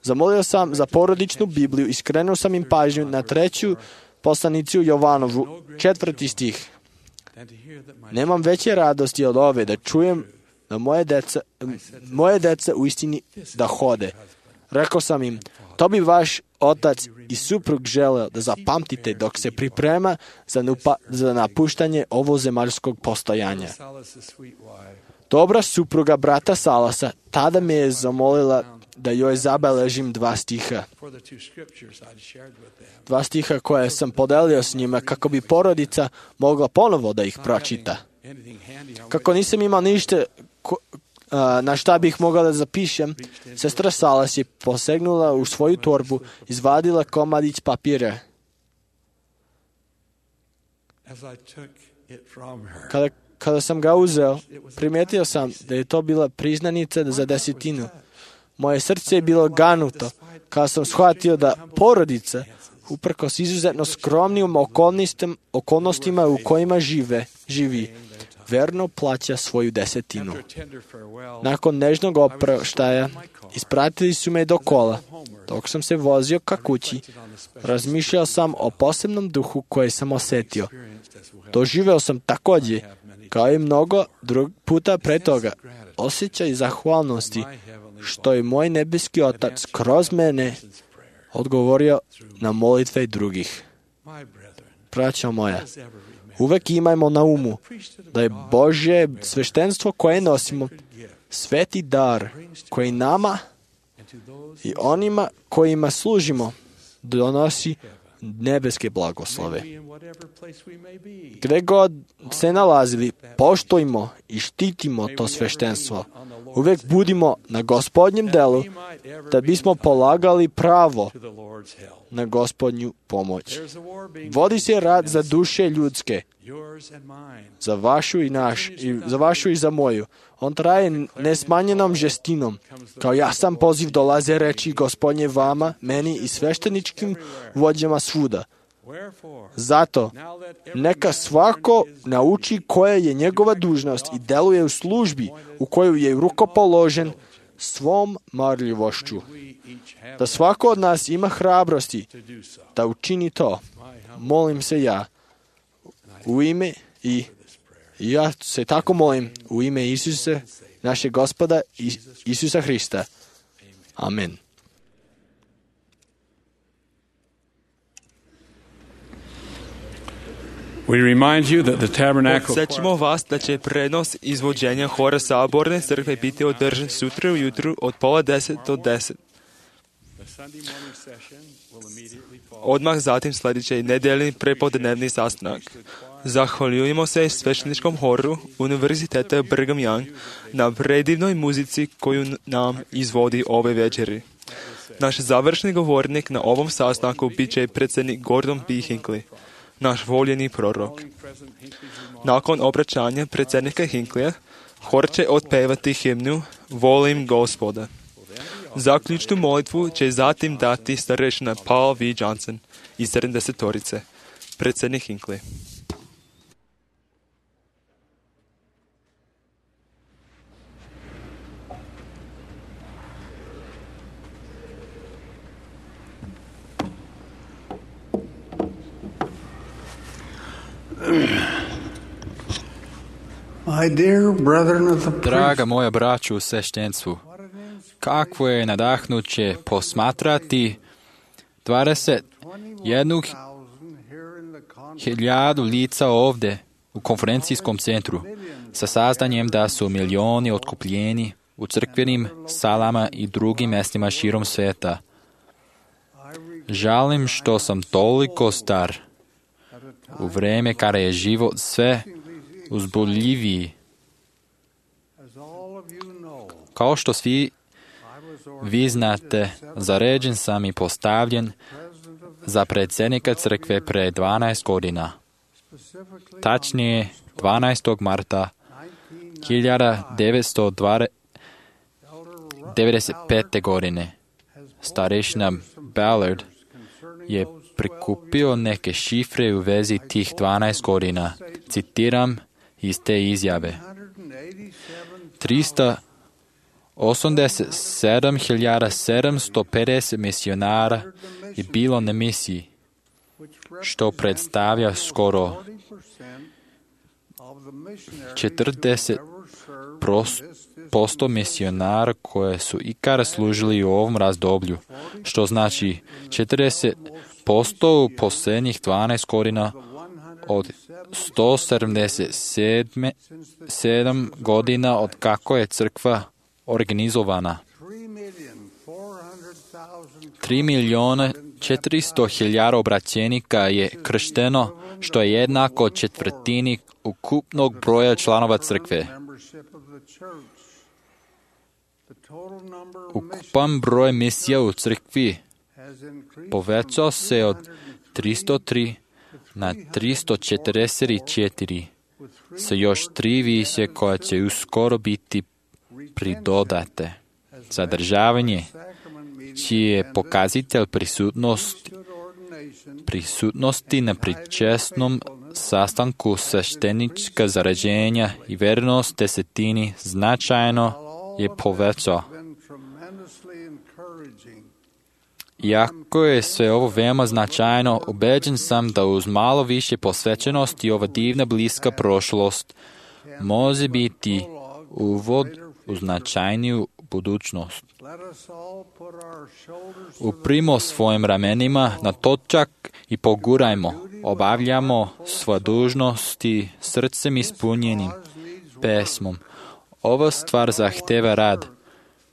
Zamolio sam za porodičnu Bibliju i skrenuo sam im pažnju na treću poslanicu Jovanovu, četvrti stih. Nemam veće radosti od ove da čujem da moje deca, moje deca u istini da hode. Rekao sam im, to bi vaš otac i suprug želeo da zapamtite dok se priprema za, nupa, za napuštanje ovozemaljskog postojanja. Dobra supruga brata Salasa tada me je zamolila da joj zabeležim dva stiha. Dva stiha koje sam podelio s njima kako bi porodica mogla ponovo da ih pročita. Kako nisam imao ništa ko, a, na šta bih mogla da zapišem, sestra Salas je posegnula u svoju torbu, izvadila komadić papira. Kada, kada sam ga uzeo, primetio sam da je to bila priznanica za desetinu. Moje srce je bilo ganuto kada sam shvatio da porodica, uprkos izuzetno skromnim okolnostima, okolnostima u kojima žive, živi, verno plaća svoju desetinu. Nakon nežnog oproštaja, ispratili su me do kola. Dok sam se vozio ka kući, razmišljao sam o posebnom duhu koje sam osetio. Doživeo sam također, kao i mnogo drug puta pre toga, osjećaj zahvalnosti što je moj nebeski Otac kroz mene odgovorio na molitve drugih. Braćo moja, uvek imajmo na umu da je Božje sveštenstvo koje nosimo sveti dar koji nama i onima kojima služimo donosi nebeske blagoslove. Gde god se nalazili, poštujmo i štitimo to sveštenstvo. Uvek budimo na Gospodnjem delu da bismo polagali pravo na Gospodnju pomoć. Vodi se rad za duše ljudske, za vašu i naš, i za vašu i za moju. On traje nesmanjenom žestinom. Kao jasan poziv dolaze reči Gospodnje vama, meni i svešteničkim vođama svuda. Zato, neka svako nauči koja je njegova dužnost i deluje u službi u koju je rukopoložen svom marljivošću. Da svako od nas ima hrabrosti da učini to. Molim se ja u ime i ja se tako molim u ime Isusa, našeg Gospoda Isusa Hrista. Amen. We remind you that the tabernacle Podsjećamo vas da će prenos izvođenja hora Saborne crkve biti održan sutra ujutru od pola deset do deset. Odmah zatim sljedeći nedeljni prepodnevni sastanak. Zahvaljujemo se svešteničkom horu Univerziteta Brigham Young na predivnoj muzici koju nam izvodi ove večeri. Naš završni govornik na ovom sastanku bit će predsjednik Gordon B. Hinckley, naš voljeni prorok. Nakon obraćanja predsjednika Hinckley, hor će otpevati himnu Volim Gospoda. Zaključnu molitvu će zatim dati starešina Paul V. Johnson iz sedamdesetorice, predsjednik Hinckley. Draga moja braću u sveštenstvu, kakvo je nadahnuće posmatrati dvadeset jednu hiljadu lica ovdje u konferencijskom centru sa saznanjem da su milioni otkupljeni u crkvenim salama i drugim mjestima širom svijeta. Žalim što sam toliko star u vrijeme kada je život sve uzboljiviji. Kao što svi vi znate, zaređen sam i postavljen za predsjednika crkve pre dvanaest godina. Tačnije, dvanaestog marta hiljada devetsto devedeset pete. godine starešina Ballard je prikupio neke šifre u vezi tih dvanaest godina. Citiram iz te izjave. tristo osamdeset sedam hiljada sedamsto pedeset misionara je bilo na misiji, što predstavlja skoro četrdeset posto misionara koje su ikada služili u ovom razdoblju, što znači četrdeset posto u posljednjih dvanaest godina od sto sedamdeset sedam godina od kako je crkva organizovana. tri milijuna četiristo hiljada obraćenika je kršteno, što je jednako četvrtini ukupnog broja članova crkve. Ukupan broj misija u crkvi povećao se od tristo tri na tristo četrdeset četiri, sa još tri više koja će uskoro biti pridodate. Zadržavanje, čiji je pokazatelj prisutnost, prisutnosti na pričesnom sastanku sveštenička zarađenja i vernost desetini značajno je povećao. Iako je sve ovo veoma značajno, ubeđen sam da uz malo više posvećenosti ova divna bliska prošlost može biti uvod u značajniju budućnost. Uprimo svojim ramenima na točak i pogurajmo, obavljamo svoje dužnosti srcem ispunjenim pesmom. Ova stvar zahteva rad.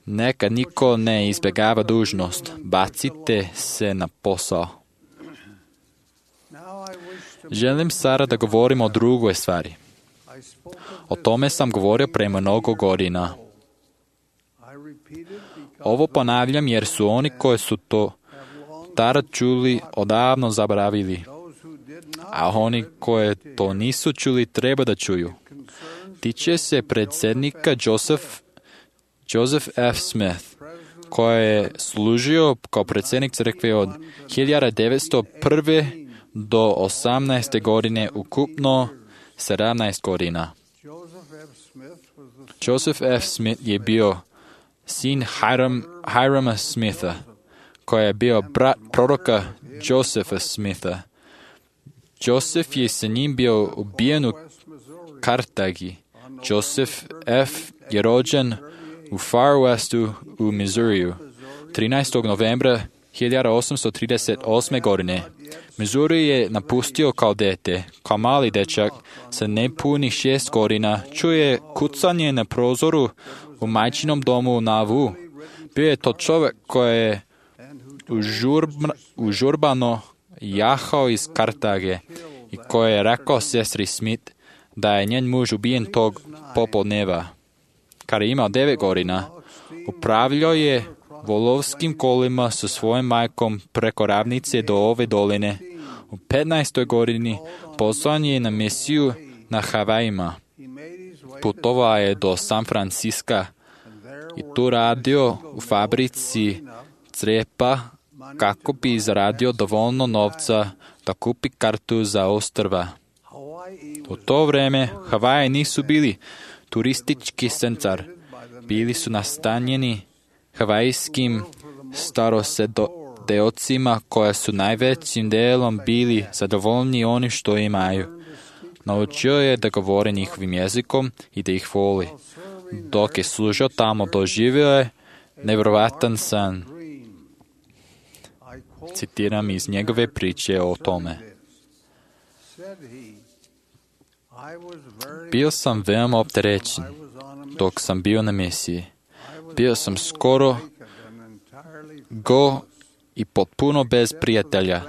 Neka niko ne izbjegava dužnost. Bacite se na posao. Želim sada da govorim o drugoj stvari. O tome sam govorio pre mnogo godina. Ovo ponavljam jer su oni koji su to tada čuli odavno zaboravili, a oni koji to nisu čuli treba da čuju. Tiče se predsjednika Joseph, Joseph F. Smith, koji je služio kao predsjednik crkve od hiljada devetsto prve do osamnaeste godine, ukupno sedamnaest godina. Joseph F. Smith je bio sin Hiram, Hirama Smitha, koji je bio brat proroka Josepha Smitha. Joseph je sa njim bio ubijen u Kartagi. Joseph F. je rođen u Far Westu u Missouriju, trinaestog novembra hiljada osamsto trideset osme. godine. Missouri je napustio kao dete. Kao mali dečak sa nepunih šest godina čuje kucanje na prozoru u majčinom domu u Nauvoo. Bio je to čovjek koji je užurba, užurbano jahao iz Kartage i koji je rekao sestri Smith da je njen muž ubijen tog popodneva. Kada je imao devet godina, upravljao je volovskim kolima sa svojom majkom preko ravnice do ove doline. U petnaestoj godini poslan je na misiju na Havajima. Putovao je do San Franciska i tu radio u fabrici crepa kako bi zaradio dovoljno novca da kupi kartu za ostrva. U to vreme Havaji nisu bili turistički centar. Bili su nastanjeni havajskim starosedeocima koja su najvećim delom bili zadovoljni onim što imaju. Naučio je da govore njihovim jezikom i da ih voli. Dok je služio tamo, doživio je nevjerovatan san. Citiram iz njegove priče o tome. Bio sam veoma opterećen dok sam bio na misiji. Bio sam skoro go i potpuno bez prijatelja.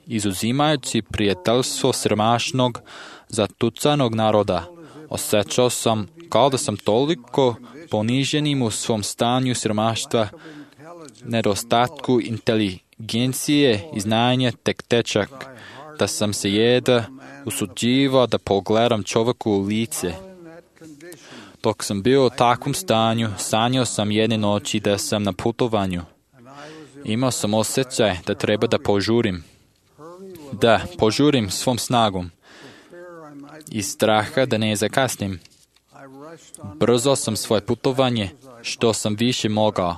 Izuzimajući prijateljstvo siromašnog, zatucanog naroda, osjećao sam kao da sam toliko poniženim u svom stanju siromaštva, nedostatku inteligencije i znanja tek tečak, da sam se jeda usuđivao da pogledam čovjeku u lice. Dok sam bio u takvom stanju, sanjao sam jedne noći da sam na putovanju. Imao sam osjećaj da treba da požurim. Da, požurim svom snagom. Iz straha da ne zakasnim. Brzo sam svoje putovanje, što sam više mogao.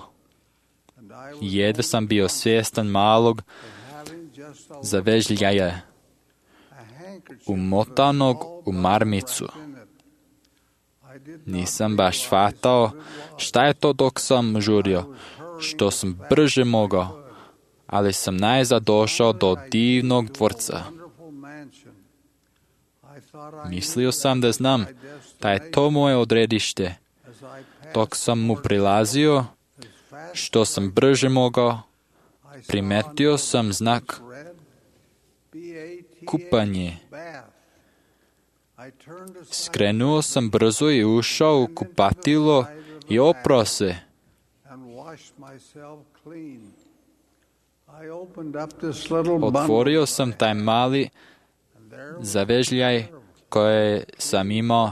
Jedva sam bio svjestan malog zavežljaja, umotanog u marmicu. Nisam baš shvatao šta je to dok sam žurio, što sam brže mogao, ali sam najzad došao do divnog dvorca. Mislio sam da znam da je to moje odredište. Dok sam mu prilazio, što sam brže mogao, primetio sam znak kupanje. Skrenuo sam brzo i ušao u kupatilo i oprao se. Otvorio sam taj mali zavežljaj koje sam imao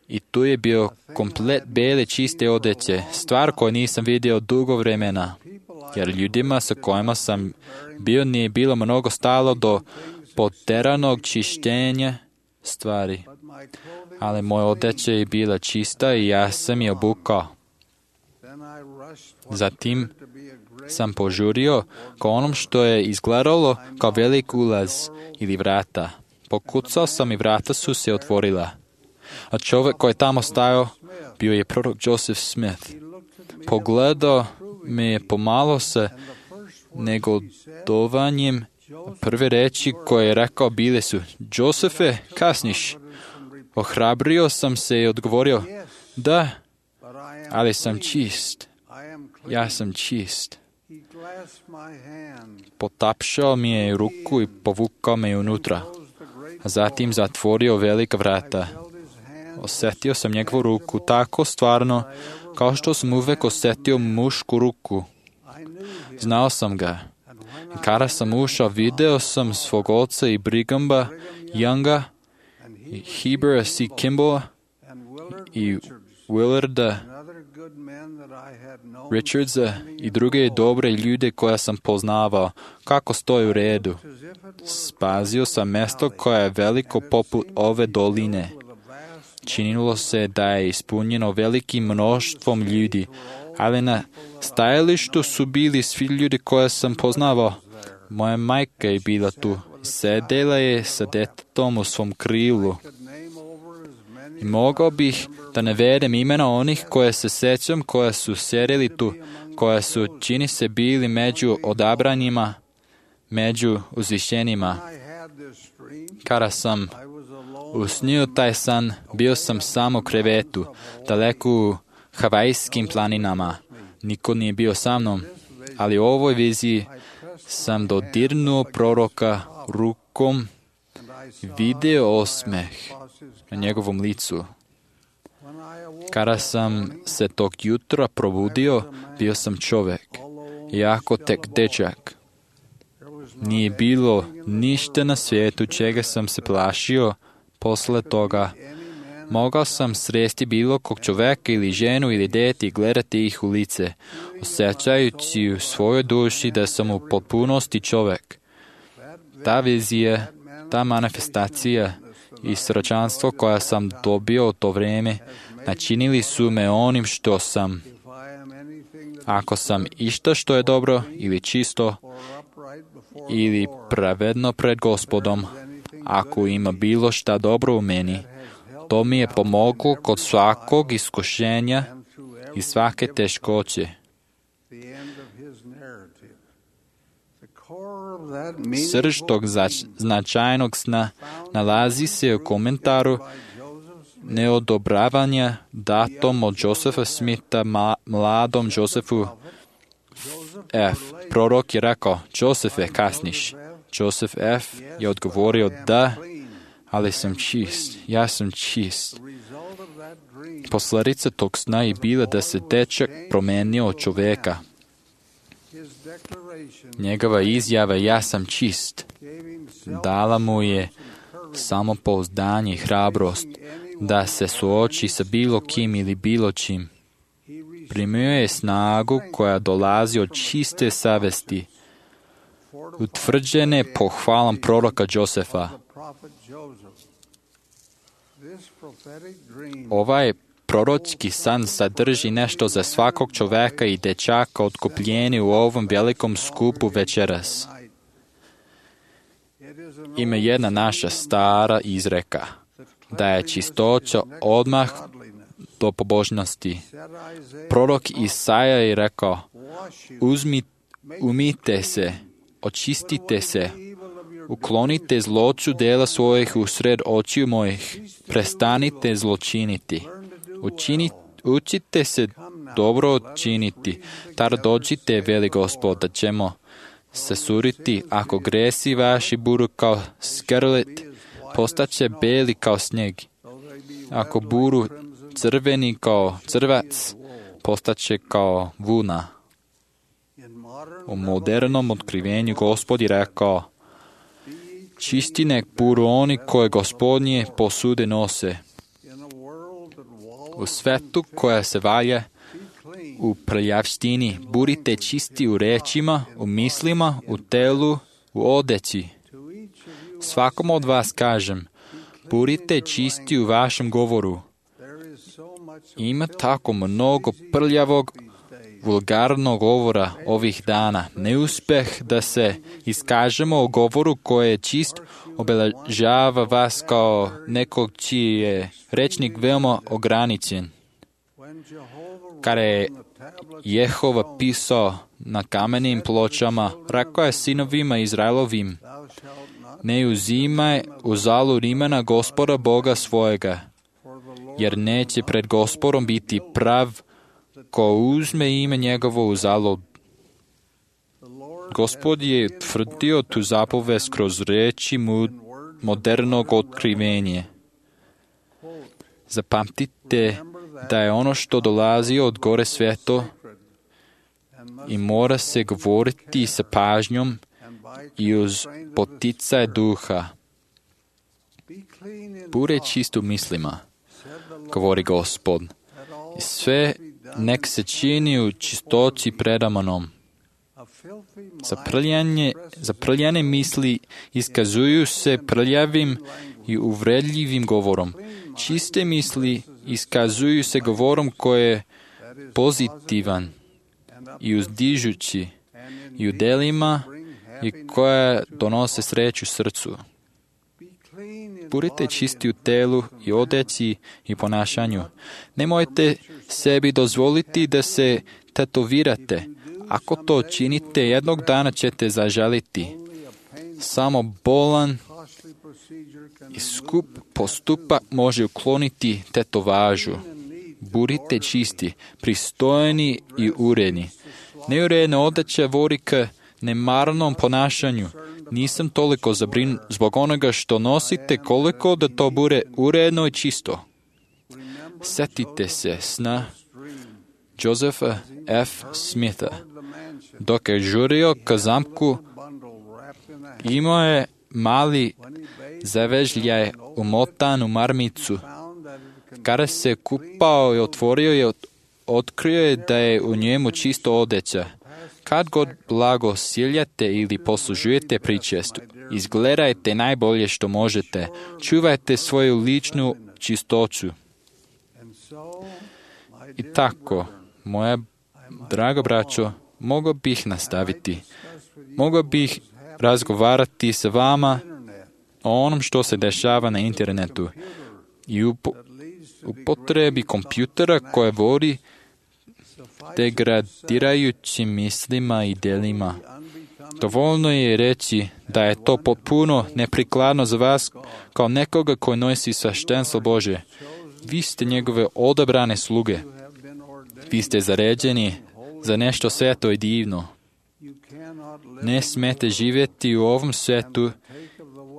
i tu je bio komplet bele čiste odeće, stvar koju nisam vidio dugo vremena, jer ljudima sa kojima sam bio nije bilo mnogo stalo do poteranog čišćenja stvari. Ali moja odeća je bila čista i ja sam je obukao. Zatim sam požurio ka onom što je izgledalo kao velik ulaz ili vrata. Pokucao sam i vrata su se otvorila. A čovjek koji je tamo stajao bio je prorok Joseph Smith. Pogledao me je pomalo sa negodovanjem. Prve reči koje je rekao bile su: Josefe, kasniš. Ohrabrio sam se i odgovorio: da, ali sam čist. Ja sam čist. Potapšao mi je ruku i povukao me unutra, a zatim zatvorio velika vrata. Osjetio sam njegovu ruku tako stvarno, kao što sam uvek osjetio mušku ruku. Znao sam ga. I kada sam ušao, video sam svog oca i Brigamba Younga, i Hebera C. Kimball i Willarda Richardsa i druge dobre ljude koje sam poznavao, kako stoji u redu. Spazio sam mjesto koje je veliko poput ove doline. Činilo se da je ispunjeno velikim mnoštvom ljudi, ali na stajalištu su bili svi ljudi koje sam poznavao. Moja majka je bila tu. Sedela je sa detetom u svom krilu. I mogao bih da navedem imena onih koje se sećam, koje su sjedili tu, koje su, čini se, bili među odabranjima, među uzvišenima. Kada sam usnio taj san, bio sam samo u krevetu, daleko u Havajskim planinama. Niko nije bio sa mnom, ali u ovoj viziji sam dodirnuo proroka rukom, video osmeh na njegovom licu. Kada sam se tog jutra probudio, bio sam čovjek, jako tek dečak. Nije bilo ništa na svijetu čega sam se plašio posle toga. Mogao sam sresti bilo kog čovjeka ili ženu ili dete i gledati ih u lice, osjećajući u svojoj duši da sam u potpunosti čovjek. Ta vizija, ta manifestacija i srećanstvo koja sam dobio u to vrijeme načinili su me onim što sam. Ako sam išta što je dobro ili čisto ili pravedno pred Gospodom, ako ima bilo šta dobro u meni, to mi je pomoglo kod svakog iskušenja i svake teškoće. Srž tog značajnog sna nalazi se u komentaru neodobravanja datom od Josepha Smitha mladom Josefu F. Prorok je rekao: Josefe, kasniš. Joseph F. je odgovorio: da, ali sam čist, ja sam čist. Posledica tog sna je bila da se dečak promenio od čovjeka. Njegova izjava: ja sam čist, dala mu je samopouzdanje i hrabrost da se suoči sa bilo kim ili bilo čim. Primio je snagu koja dolazi od čiste savesti, utvrđene pohvalam proroka Josefa. Ovaj proročki san sadrži nešto za svakog čoveka i dečaka otkupljeni u ovom velikom skupu večeras. Ima jedna naša stara izreka, da je čistoća odmah do pobožnosti. Prorok Isaja je rekao, Uzmi, umite se, očistite se, uklonite zloću dela svojih usred očiju mojih, prestanite zločiniti, Učini, učite se dobro činiti, tar dođite, veli Gospod, da ćemo se suriti, ako gresi vaši budu kao skrlet, postaće beli kao snijeg. Ako budu crveni kao crvac, postaće kao vuna. U modernom otkrivenju Gospod je rekao, čisti nek budu oni koje Gospodnje posude nose. U svetu koja se valja u prljavštini, budite čisti u rečima, u mislima, u telu, u odeći. Svakom od vas kažem, budite čisti u vašem govoru. Ima tako mnogo prljavog, vulgarnog govora ovih dana. Neuspeh da se iskažemo o govoru koji je čist obeležava vas kao nekog čiji je rečnik veoma ograničen. Kada je Jehova pisao na kamenim pločama, rekao je sinovima Izraelovim, ne uzimaj uzalud imena Gospoda Boga svojega, jer neće pred Gospodom biti prav ko uzme ime njegovo uzalud. Gospod je tvrdio tu zapovest kroz reči modernog otkrivenja. Zapamtite da je ono što dolazi od gore sveto i mora se govoriti sa pažnjom i uz poticaj duha. Bude čist u mislima, govori Gospod. Sve nek se čini u čistoći predamanom. Zaprljanje, zaprljane misli iskazuju se prljavim i uvredljivim govorom. Čiste misli iskazuju se govorom koji je pozitivan i uzdižući i u delima i koja donose sreću srcu. Budite čisti u telu i odeći i ponašanju. Nemojte sebi dozvoliti da se tetovirate. Ako to činite, jednog dana ćete zažaliti. Samo bolan i skup postupak može ukloniti tetovažu. Budite čisti, pristojni i uredni. Neuredna odeća vodi k nemarnom ponašanju. Nisam toliko zabrinut zbog onoga što nosite, koliko da to bude uredno i čisto. Setite se sna Josepha F. Smitha. Dok je žurio ka zamku, imao je mali zavežljaj umotan u marmicu. Kada se kupao i otvorio je, otkrio je da je u njemu čisto odeća. Kad god blago siljate ili poslužujete pričest, izgledajte najbolje što možete. Čuvajte svoju ličnu čistoću. I tako, moja draga braćo, mogao bih nastaviti. Mogao bih razgovarati sa vama o onom što se dešava na internetu i u upotrebi kompjutera koje vodi degradirajućim mislima i delima. Dovoljno je reći da je to potpuno neprikladno za vas kao nekoga koji nosi sveštenstvo Bože. Vi ste njegove odabrane sluge. Vi ste zaređeni za nešto sveto i divno. Ne smete živjeti u ovom svetu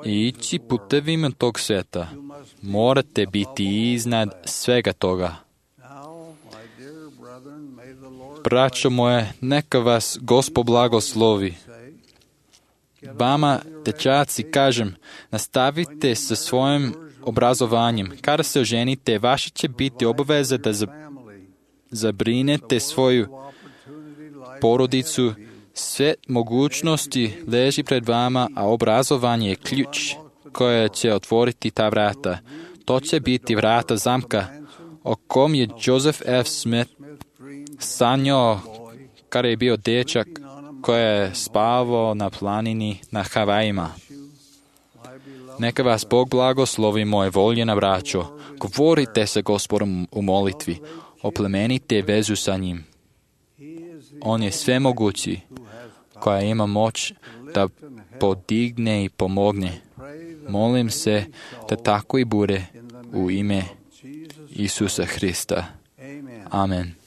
i ići putevima tog sveta. Morate biti iznad svega toga. Braćo moje, neka vas Gospod blagoslovi. vama, dečaci, kažem, nastavite sa svojim obrazovanjem. Kada se oženite, vaša će biti obaveza da zabrinete svoju porodicu. Sve mogućnosti leži pred vama, a obrazovanje je ključ koje će otvoriti ta vrata. To će biti vrata zamka o kom je Joseph F. Smith sanjao kada je bio dečak koji je spavao na planini na Havajima. Neka vas Bog blagoslovi, moje voljena braćo. Govorite sa Gospodom u molitvi. Oplemenite vezu sa njim. On je svemogući, koja ima moć da podigne i pomogne. Molim se da tako i bude u ime Isusa Hrista. Amen.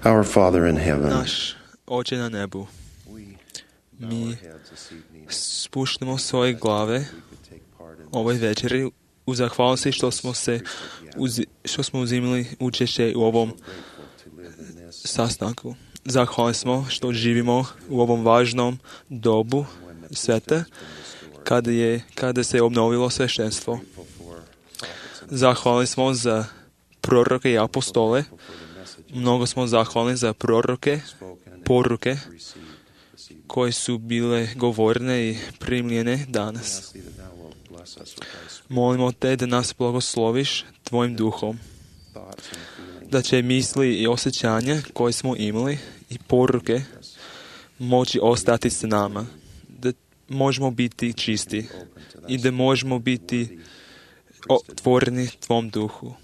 Our Father in heaven, Naš Oče na nebu, mi spuštamo svoje glave ovoj večeri u zahvalnosti što smo se uzi, što smo uzimali učešće u ovom sastanku. Zahvalni smo što živimo u ovom važnom dobu sveta kada, je, kada se obnovilo sveštenstvo. Zahvalni smo za proroke i apostole. Mnogo smo zahvalni za proroke, poruke koje su bile govorene i primljene danas. Molimo te da nas blagosloviš tvojim duhom, da će misli i osjećanja koje smo imali i poruke moći ostati s nama, da možemo biti čisti i da možemo biti otvoreni tvom duhu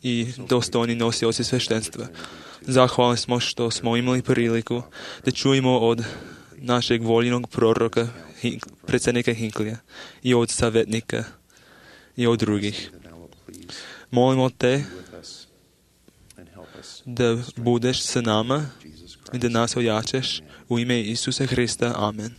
i dostojni nosioci sveštenstva. Zahvalni smo što smo imali priliku da čujemo od našeg voljenog proroka, predsjednika Hinklija, i od savjetnika i od drugih. Molimo te da budeš sa nama i da nas ojačaš u ime Isusa Hrista. Amen.